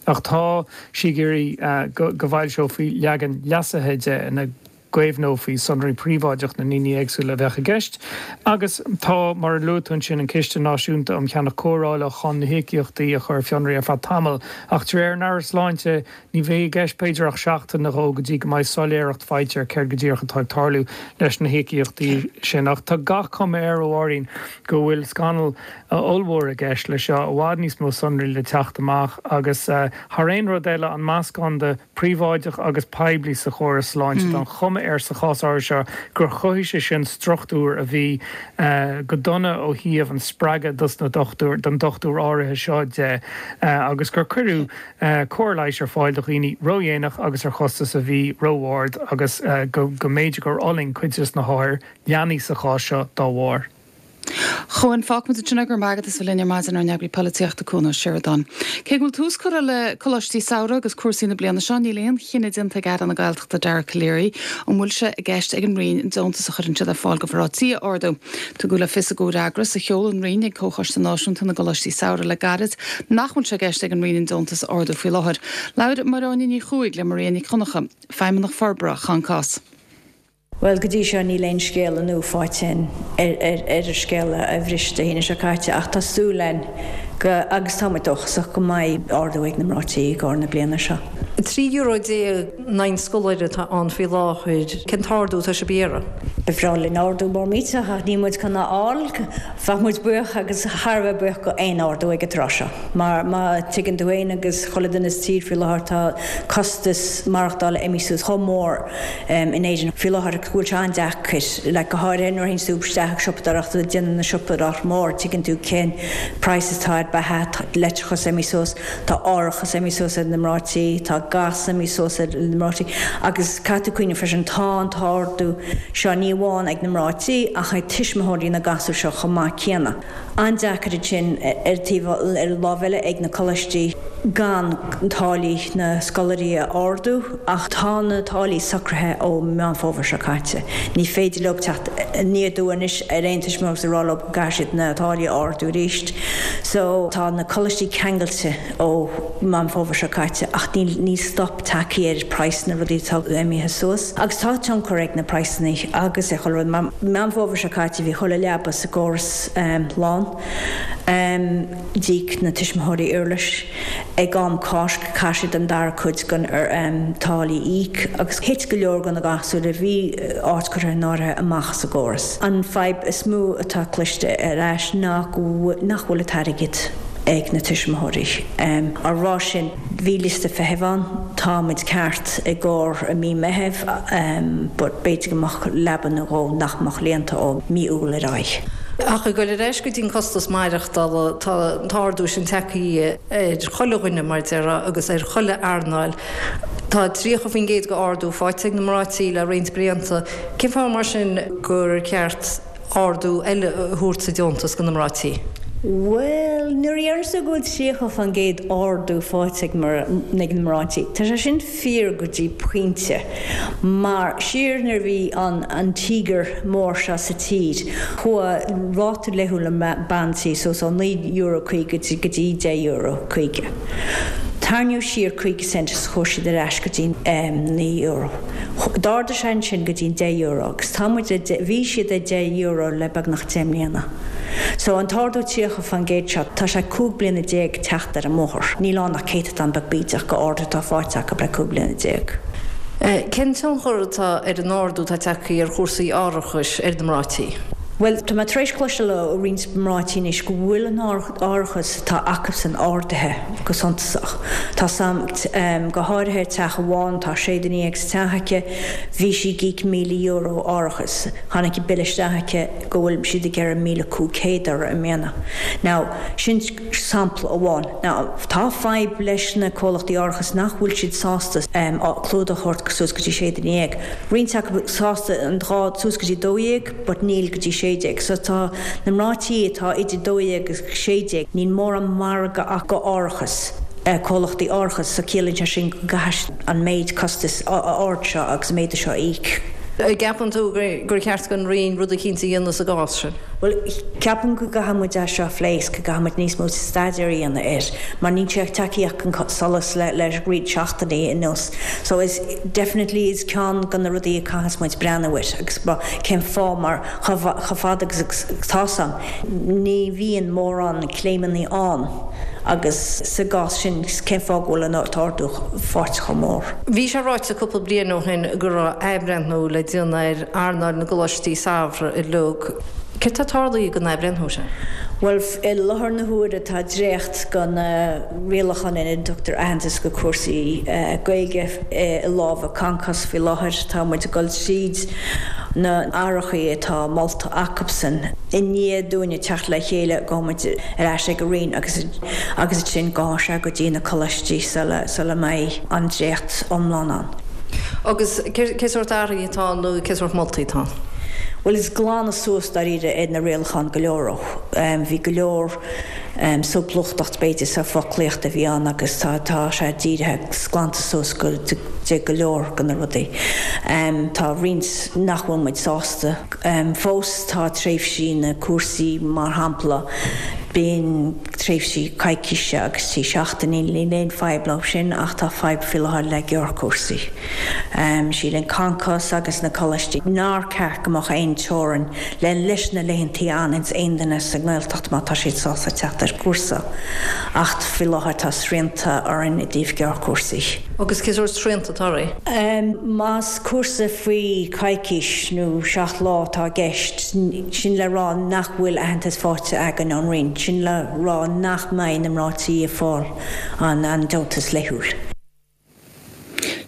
ach tá sí ag iarraidh go bhfoilseofaí leagan leasaithe de ina gcaomhnófaí sonraí príobháideach na ndaoine éagsúla a bheadh i gceist. Agus tá, mar a luaigh tú ansin, an Ciste Náisiúnta um Cheannach Cóireála chun na híocaíochtaí a chur ar fionraí ar feadh tamaill. Ach de réir an Aire Sláinte, ní bheidh i gceist b'fhéidir ach seachtain nó dhó go dtí go mbeidh soiléireacht faighte ar céard go díreach atá ag tarlú leis na híocaíochtaí sin. Ach tá gach cuma air, a Mháirín, go bhfuil scannal ollmhór i gceist leis seo, i bhfad níos mó sonraí le teacht amach agus, thar aon rud eile, an meascán de príobháideach agus poiblí sa chóras sláinte. Tá an chuma air sa chás áirithe seo gur chruthaigh sé sin struchtúr a bhí go dona ó thaobh an spreagadh dos na dochtúir, don dochtúir áirithe seo de agus gur cuireadh cóir leighis ar fáil do dhaoine ródhéanach agus ar chostas a bhí ró-ard agus go mb'fhéidir gur fhulaing cuid des na hothair, leanaí sa chás seo, dá bharr. Chuain. Fágfaimid ansin é, go raibh maith agat as bheith linn ar maidin, ár n-eagraí polaitíochta, Cuan Ó Seireadáin. Cé go bhfuil tús curtha le coláistí samhraidh agus cúrsaí na bliana seo, níl aon chinneadh déanta ag Aire na Gaeltachta Dara Calleary an bhfuil sé i gceist ag an Roinn an deontas a chuireann siad ar fáil do mhná tí a ardú. Tugadh le fios i gcomhfhreagras a sheol an Roinn ag Comhchoiste Náisiúnta na gColáistí Samhraidh le gairid nach bhfuil sé i gceist ag an Roinn an deontas a ardú faoi láthair. Labhair Máire Áine Ní Chuaig le Maria Nic Dhonncha, Feidhmeannach Forbartha Choncás. Bhuel, go dtí seo níl aon scéala nua faighte againn ar an scéala a bhris Dé hAoine seo caite ach tá súil againn go, agus tá muid dóchasach, go mbeidh ardú ag na mná tí i gcomhair na bliana seo. €13 in aghaidh an scoláire atá ann faoi láthair. Cén t-ardú atá sibh a iarraidh? Ba bhreá linn ardú mór millteach ach níl muid chun a fháil. Bheadh muid buíoch agus thar a bheith buíoch go aon ardú ag an tráth seo mar má tuigeann tú féin agus chuile duine sa tír faoi láthair tá costas maireachtála imithe suas chomh mór in Éirinn faoi láthair go bhfuil sé an-deacair, like go háirithe nuair a théann tú isteach ag siopadóireacht ag déanamh na siopadóireacht mór, tuigeann tú cén praghas atá ar beatha, tá leictreachas imithe suas, tá árachas imithe suas ar na mná tí, tá gás imithe suas ar na mná tí agus caithfidh tú cuimhneamh freisin tá an t-ardú seo ní amháin ag na mná tí ach ag tuismitheoirí na gasúr seo chomh maith céanna. An-deacair ansin ar taobh ar an lámh eile ag na coláistí gan táillí na scoláirí a ardú ach tá na táillí socraithe ó Meán Fómhair seo caite. Ní féidir leo teacht aniar aduaidh anois ar aon tuismitheoir agus a rá leo go gcaithfidh siad na táillí a ardú arís. So tá na coláistí ceangailte ó Meán Fómhair seo caite ach níl níl stop tagtha ar praghsanna rudaí atá imithe suas agus tá tionchar ag na praghsanna agus ar chuile rud mar Meán Fómhair seo caite bhí chuile leaba sa gcóras lán. D'íoc na tuismitheoirí uirlis ag am Cásc chaith siad an dara cuid den táillí a íoc agus thit go leor de na gasúir a bhí áit curtha in áirithe amach as an gcóras. An fadhb is mó atá cloiste ar ais ná go nach bhfuil an t-airgead ag na tuismitheoirí. Á rá sin, bhí liosta feithimh ann, tá muid ceart i gcomhair mí Meitheamh but b'fhéidir go mbeadh leaba nó dhó nach mbeadh líonta ó mí Iúil ar aghaidh. Ach ag dul ar ais go dtí an costas maireachtála, tá an t-ardú sin tagtha ar chuile dhuine mar déarfá agus ar chuile earnáil. Tá 30% de ardú faighte ag na mná tí le roinnt blianta. Cén fáth mar sin gur ceart ardú eile a thabhairt sa deontas do na mná tí? Bhuel, nuair a deireann tú go bhfuil 30% ardú faighte ag na mná tí, tá sé sin fíor go dtí pointe. Mar siar nuair a bhí an an tíogar mór seo sa tír, chuaigh ráta laethúil na mban tí suas ó €9.50 go dtí €10.50. Tarraingíodh siar 50 cent is chuaigh siad ar ais go dtí €9. D'ardaigh sé ansin go dtí an €10 agus tá muid ag, bhí siad ag €10 le beagnach 10 mbliana. So an t-ardú 30% seo, tá sé 15 bliana teacht ar an mbóthar. Níl ann ach céatadán beag bídeach de ardú atá faighte acu le 15 bliana. Cén tionchar atá ar an ardú atá tagtha ar chúrsaí árachais ar na mná tí? Bhuel, tá mé tar éis cloisteáil ó roinnt mná tí anois go bhfuil an árachas atá acusan ardaithe go suntasach. Tá sam, go háirithe teach amháin, tá sé duine dhéag sa teach aici, bhí sí ag íoc €1,000 árachas. Tháinig an bille isteach aici go bhfuil siad ag iarraidh 1,500 uirthi i mbliana. Now, sin sampla amháin. Now, tá fadhb leis na comhlachtaí árachais nach bhfuil siad sásta clúdach a thabhairt suas go dtí sé duine dhéag. Roinnt acu sásta an dhá, suas go dtí 12 but níl go dtí 16. So tá na mná tí atá idir 12 agus 16, níl mórán margadh acu árachas, comhlachtaí árachais, so ciallaíonn sé sin go gcaithfidh siad an méid costais ard seo agus an méadú seo a íoc. An gceapann tú gur cheart don Roinn rud eicínt a dhéanamh sa gcás sin? Bhuel, ceapaim go gcaithfidh muid é seo a phlé is go gcaithfidh muid níos mó staidéir a dhéanamh air mar níl sé tagtha chun solais le le roinnt seachtainí anuas. So is definitely is ceann de na rudaí a caithfeas muid breathnú air agus cén fáth mar chomh fada agus atá 's a'm ní bhíonn mórán claimeannaí ann agus sa gcás sin cén fáth go bhfuil an t-ardú faighte chomh mór. Bhí sé ráite cúpla bliain ó shin go raibh athbhreithniú le déanamh ar earnáil na gcoláistí samhraidh uilig. Céard tá tarlaithe don athbhreithniú sin? Bhuel, i láthair na huaire tá dréacht de na rialacháin ina dtugtar aitheantas go cúrsaí Gaeilge i lámha Concos faoi láthair. Tá muid ag dul tríd na athruithe atá molta acubsan. I ndiaidh dúinne teacht le chéile gabhfaidh muid ar ais ag an Roinn agus agus ansin gabhfaidh sé go dtí na coláistí sula sula mbeidh an dréacht iomlán ann. Agus cé sórt athruithe atá ann nó cé sórt moltaí atá ann? Bhuel is glanadh suas dáiríre ar na rialacháin go leor. Bhí go leor solúbthachta b'fhéidir sa foclaíocht a bhí ann agus tá tá sé dírithe agus glanta suas go de go leor de na rudaí. Tá roinnt nach bhfuil muid sásta fós. Tá tréimhsí na cúrsaí mar shampla, bíonn tréimhsí coicíse agus 3 seachtainí, níl aon fadhb leo sin ach tá fadhb faoi láthair le gearrchúrsaí. Síleann Concos agus na coláistí nár ceart go mbeadh aon teorainn le leis na laethantaí a fhananns aon duine sa nGaeltacht má tá siad sásta teacht ar cúrsa ach faoi láthair tá srianta orainn i dtaobh gearrchúrsaí. Agus cé sórt srianta atá oraibh? Más cúrsa faoi choicís nó 7 lá atá i gceist, sin le rá nach bhfuil aitheantas faighte againn ón Roinn, sin le rá nach mbeidh na mná tí ag fáil an deontas laethúil.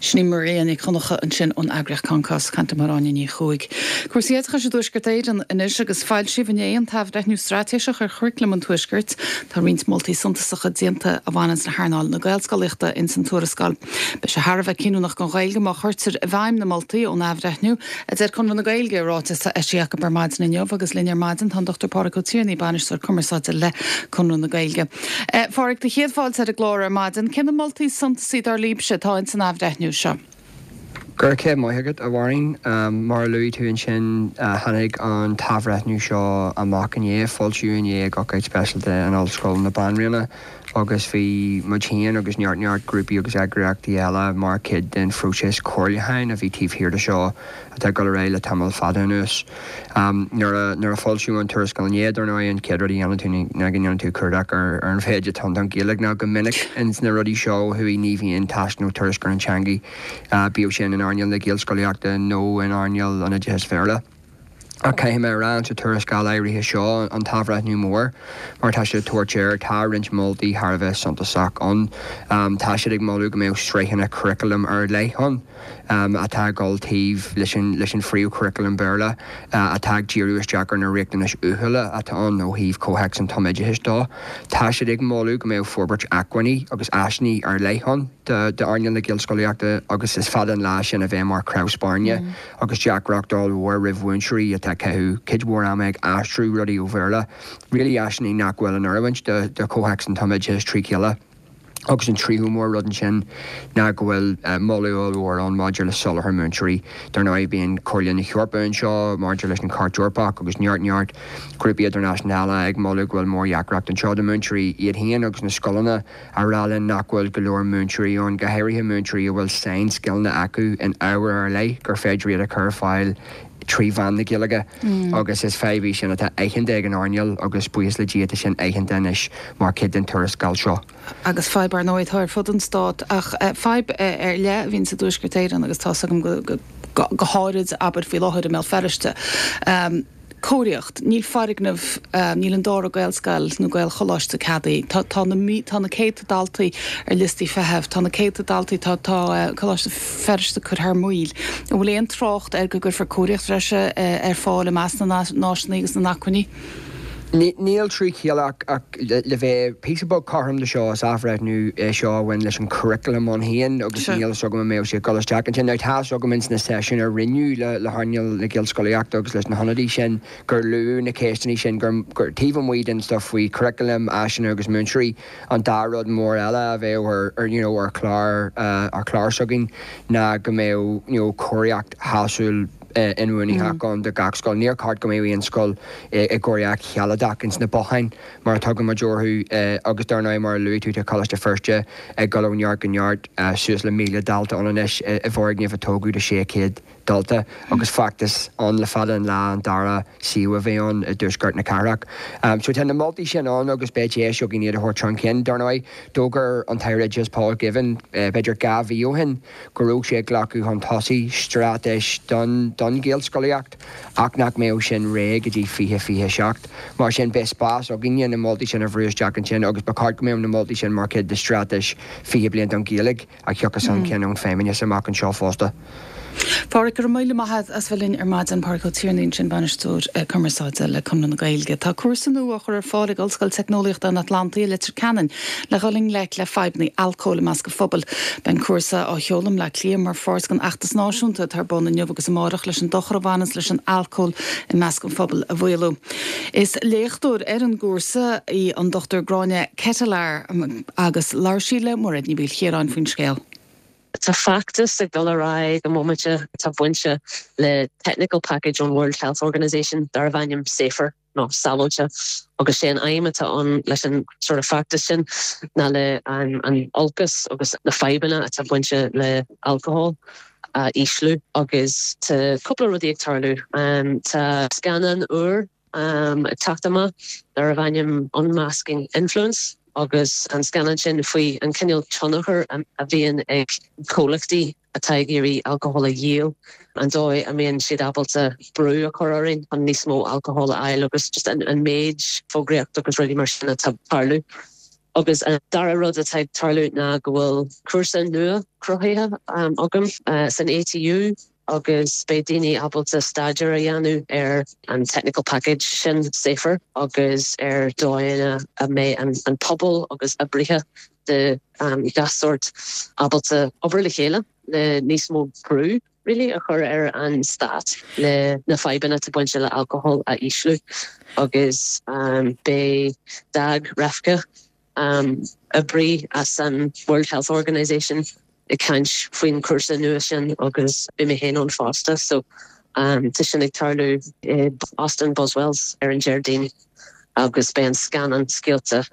Sin í Maria Nic Dhonncha ansin ón eagraíocht Concos, ag caint le Máire Áine Ní Chuaig. Cúrsaí oideachais i dTuaisceart Éireann anois agus foilsíodh inné an t-athbhreithniú straitéiseach ar churaclam an Tuaiscirt. Tá roinnt moltaí suntasacha déanta a bhaineanns le hearnáil na Gaelscolaíochta ins an tuarascáil. Beidh sé thar a bheith cinniúnach don Ghaeilge má chuirtear i bhfeidhm na moltaí ón athbhreithniú, a deir Conradh na Gaeilge i ráiteas atá eisithe acu ar maidin inniu agus linn ar maidin tá an Dr Pádraig Ó Tiarnaigh, Bainisteoir Cumarsáide le Conradh na Gaeilge. A Phádraig, do chéad fáilte ar an gclár ar maidin. Cé na moltaí is suntasaí dar libhse atá ins an athbhreithniú seo? Go raibh maith agat, a Mháirín. Mar a luaigh tú ansin, tháinig an t-athbhreithniú seo amach inné, foilsíodh inné ag ócáid speisialta in Ollscoil na Banríona agus bhí muid féin agus neart neart grúpaí agus eagraíochtaí eile mar chuid den phróiseas comhairliúcháin a bhí taobh thiar de seo atá ag dul ar aghaidh le tamall fada anuas. Nuair a foilsíodh an tuarascáil inné, dar ndóigh, an chéad rud a dhéanann tú ná go ndéanann tú cuardach ar an mhéid atá ann don Ghaeilge, nó go minic ins na rudaí seo ó thuaidh ní bhíonn tásc nó tuairisc ar an teangaidh, bíodh sin in earnáil na Gaelscolaíochta nó in earnáil an oideachais Bhéarla. Ach caithfidh mé a rá, sa tuarascáil áirithe seo, an t-athbhreithniú mór, mar atá siad ag tabhairt air, tá roinnt moltaí thar a bheith suntasach ann. Tá siad ag moladh go mbeadh sraitheanna curaclaim ar leith ann. atá ag dul taobh leis an leis an phríomhchuraclam Béarla, atá ag díriú isteach ar na riachtanais uathúla atá ann ó thaobh comhthéacs an tumoideachais dó. Tá siad ag moladh go mbeadh forbairt acmhainní agus áiseanna ar leith ann d'earnáil na Gaelscolaíochta agus is fada an lá sin a bheith mar chrann spairne agus deacracht ollmhór roimh mhúinteoirí atá ag caitheamh cuid mhór ama ag aistriú rudaí ó Bhéarla, really áiseanna nach bhfuil in oiriúint do chomhthéacs an tumoideachais trí chéile. Agus an tríú mór rud ansin ná go bhfuil moladh ollmhór ann maidir le soláthar múinteoirí. Dar ndóigh bíonn Comhairle na hEorpa anseo maidir leis an Chairt Eorpach agus neart neart grúpaí idirnáisiúnta ag moladh go bhfuil mórdheacracht anseo do mhúinteoirí iad féin agus na scoileanna a rá linn nach bhfuil go leor múinteoirí ann, go háirithe múinteoirí a bhfuil sainscileanna acu in ábhair ar leith gur féidir iad a chur ar fáil trí mheán na Gaeilge agus is fadhb í sin atá aitheanta ag an earnáil agus buíochas le Dia tá sin aitheanta anois mar chuid den tuarascáil seo. Agus fadhb ar ndóigh atá ar fud an stáit ach fadhb ar leith a bhíonn sa dTuaisceart Éireann agus tá's agam go go háirid abair faoi láthair i mBéal Feirste. Cóiríocht, níl foirgneamh, níl an dara Gaelscoil nó Gaelcholáiste ceadaithe. Tá, tá na, tá na céadta daltaí ar liostaí feithimh, tá na céadta daltaí, tá, tá Coláiste Feirste curtha thar maoil. An bhfuil aon trácht air go gcuirfear cóiríocht bhreise ar fáil i measc na n-áiseanna agus na n-acmhainní? Níl trí chéile ach le bheith píosa beag cothrom de seo, is athbhreithniú é seo a bhain leis an churaclam ann féin agus níl fhios agam an mbeadh sé ag dul isteach ansin. Now tá fhios agam ins na seisiúin a rinneadh le hearnáil na Gaelscolaíochta agus leis na hionadaithe sin gur luadh na ceisteanna sin gur taobh amuigh den stuff faoi churaclam, áiseanna agus múinteoirí, an dá rud mór eile a bheadh ar you know ar chlár ar chlár s'againn ná go mbeadh you know cóiríocht shásúil inbhuanaitheach ann do gach scoil. Níor cheart go mbeadh aon scoil i gcóiríocht shealadach ins na botháin mar a tugann muid orthu agus dar ndóigh mar a luaigh tú tá Coláiste Feirste ag dul ó neart go neart, suas le 1,000 dalta ann anois i bhfoirgneamh a tógadh do 600 dalta agus feachtas ann le fada an lá an dara suíomh a bheith ann i dtuaisceart na cathrach. So tá na moltaí sin ann agus beidh deis againn iad a thabhairt chun cinn. Dar ndóigh d'fhógair an tAire Oideachais Paul Givan b'fhéidir 2 mhí ó shin go raibh sé ag glacadh chun tosaigh straitéis don don Ghaelscolaíocht ach nach mbeadh sin réidh go dtí 2027. Mar sin beidh spás againne na moltaí sin a bhrú isteach ansin agus ba cheart go mbeadh na moltaí sin mar chuid de straitéis 20 bliain don Ghaeilge a thiocfas chun cinn ón Feidhmeannas amach anseo fosta. Pádhraic, go raibh míle maith agat as bheith linn ar maidin. Pádraic Ó Tiarnaigh ansin, Bainisteoir Cumarsáide le Conradh na Gaeilge. Tá cúrsa nua á chur ar fáil ag Ollscoil Teicneolaíochta an Atlantaigh i Leitir Ceanainn le dhul i ngleic le fadhbanna alcóil i measc an phobail. Beidh an cúrsa á sheoladh i mBleá Cliath mar pháirt den fheachtas náisiúnta atá ar bun inniu agus amárach leis an dochar a bhaineanns leis an alcól i measc an phobail a mhaolú. Is léachtóir ar an gcúrsa í an Dr Gráinne Ketelaar agus labhair sí le Mairéad Ní Mhaoilchiaráin faoin scéal. Tá feachtas ag dul ar aghaidh ag an mbomaite atá bainte le technical package ón World Health Organisation darbh ainm Safer nó Sábháilte agus sé an aidhm atá ann leis an sort of feachtas sin ná le an olcas agus na fadhbanna atá bainte le alcohol a ísliú agus tá cúpla rudaí ag tarlú. Tá scannán úr ag teacht amach darbh ainm Unmasking Influence agus an scannán sin faoi an cineál tionchar a bhíonn ag comhlachtaí atá ag iarraidh alcohol a dhíol, an dóigh a mbíonn siad ábalta brú a chur orainn chun níos mó alcohol a fháil agus just an méid fógraíocht agus rudaí mar sin atá ag tarlú. Agus an dara rud atá ag tarlú ná go bhfuil cúrsa nua cruthaithe agam san ATU, agus beidh daoine ábalta staidéar a dhéanamh ar an technical package sin, Safer, agus ar dóigheanna a mbeidh an pobal agus oibrithe de gach sórt ábalta obair le chéile le níos mó brú really a chur ar an stát le na fadhbanna atá bainte le alcohol a ísliú agus beidh Dag Refka oibrí as an World Health Organisation ag caint faoin chúrsa nua sin agus beidh mé féin ann fosta. So tá sin ag tarlú i Óstán Buswells ar an Déardaoin agus beidh an scannán scaoilte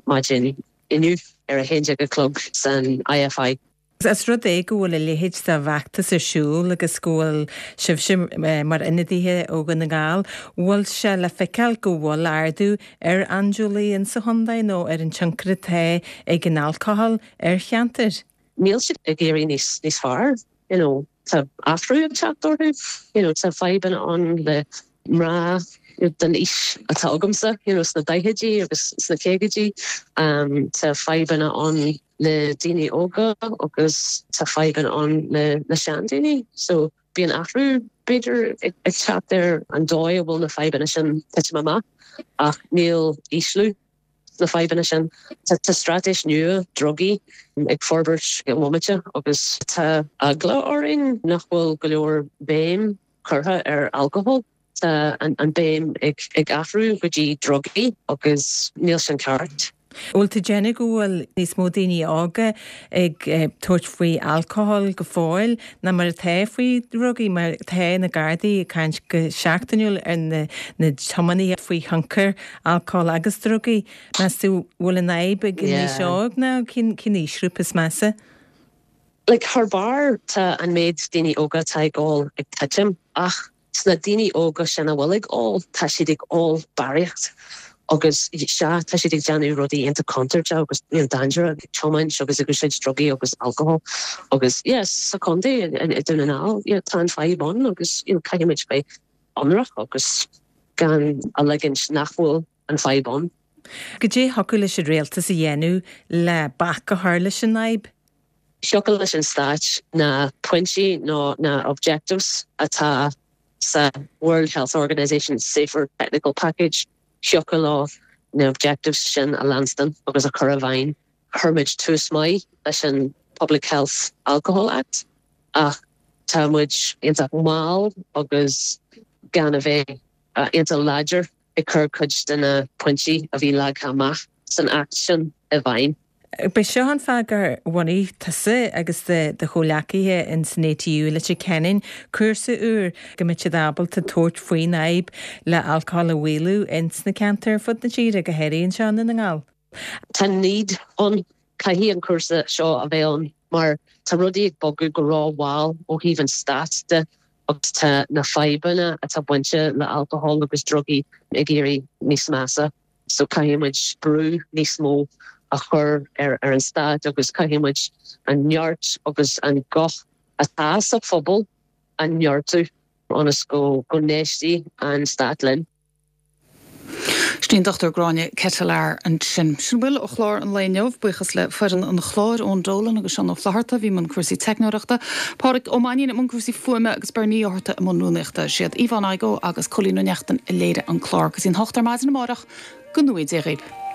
maidin inniu ar 11 a chlog san IFI. Is rud é go bhfuil a leithéid de bhfeachtas ar siúl agus go bhfuil sibhse mar ionadaithe ó Dhún na nGall, bhfuil sé le feiceáil go bhfuil ardú ar andúiligh insa chontae nó ar an tionchar atá ag an alcóhol ar cheantair? Níl siad ag éirí níos níos fearr, you know, tá athrú ag teacht orthu, you know, tá fadhbanna ann le mná den aois atá agamsa, you know, sna daichidí agus sna caogaidí, tá fadhbanna ann le daoine óga agus tá fadhbanna ann le na seandaoine. So bíonn athrú b'fhéidir ag teacht ar an dóigh a bhfuil na fadhbanna sin titim amach ach níl ísliú sna fadhbanna sin. Tá straitéis nua drugaí ag forbairt ag an bhomaite agus tá eagla orainn nach bhfuil go leor béim curtha ar alcohol. Tá an béim ag athrú go dtí drugaí agus níl sin ceart. Bhfuil tú ag déanamh go bhfuil níos mó daoine óga ag tabhairt faoi alcohol go fóill ná mar atá faoi dhrugaí mar tá na Gardaí ag caint go seachtainiúil ar na tiománaithe faoi thionchar alcóil agus drugaí. Meas tú bhfuil an fhadhb ag an aois óg nó cén aoisghrúpa is measa? Like thar barr tá an méid daoine óga atá ag ól ag titim ach Sna daoine óga sin a bhfuil ag ól, tá siad ag ól barraíocht agus sea, tá siad ag déanamh rudaí iontach contúirteach agus you know dainséarach, ag tiomáint agus ag úsáid drugaí agus alcohol agus yeah sa chontae i Dún na nGall yeah tá an fadhb ann agus you know caithfidh muid bheith ionraic agus gan a ligint nach bhfuil an fadhb ann. Goidé thiocfadh leis an rialtas a dhéanamh le bac a chur leis an fhadhb? Thiocfadh leis an Stáit na pointí nó na objectives atá sa World Health Organisation Safer Technical Package, thiocfadh leo na objectives sin a leanstan agus a chur i bhfeidhm. Chuir muid tús maith leis an Public Health Alcohol Act ach tá muid iontach mall agus gan a bheith iontach láidir ag cur cuid de na pointí a bhí leagtha amach san Acht sin i bhfeidhm. B'é seo an fáth gur bhunaigh tusa agus do chomhleacaithe in san ATU i Leitir Ceanainn cúrsa úr go mbeadh siad ábalta tabhairt faoin fhadhb le alcól a mhaolú ins na ceantair ar fud na tíre, go háirithe anseo i nDún na nGall. Tá need ann. Caithfidh an cúrsa seo a bheith ann mar tá rudaí ag bogadh go ró-mhall ó thaobh an stáit de agus tá na fadhbanna atá bainte le alcohol agus drugaí ag éirí níos measa. So caithfidh muid brú níos mó a chur ar an stát agus caithfidh muid an neart agus an guth atá sa phobal a neartú ionas go n-éistfidh an stát linn. Sin í an Dr Gráinne Ketelaar ansin. Sin a bhfuil ó chlár an lae inniu. Buíochas le foireann an chláir, Eoin Dolan agus Seán Ó Flatharta a bhí i mbun cúrsaí teicneoireachta, Pádraig Ó Mainnín i mbun cúrsaí fuaime agus Bernie Ó hEarta i mbun rúnaíochta. Siad Yvonne Igoe agus Cóilín Ó Neachtain a léirigh an clár. Go dtí an hocht ar maidin amárach, go ngnóthaí Dia dhaoibh.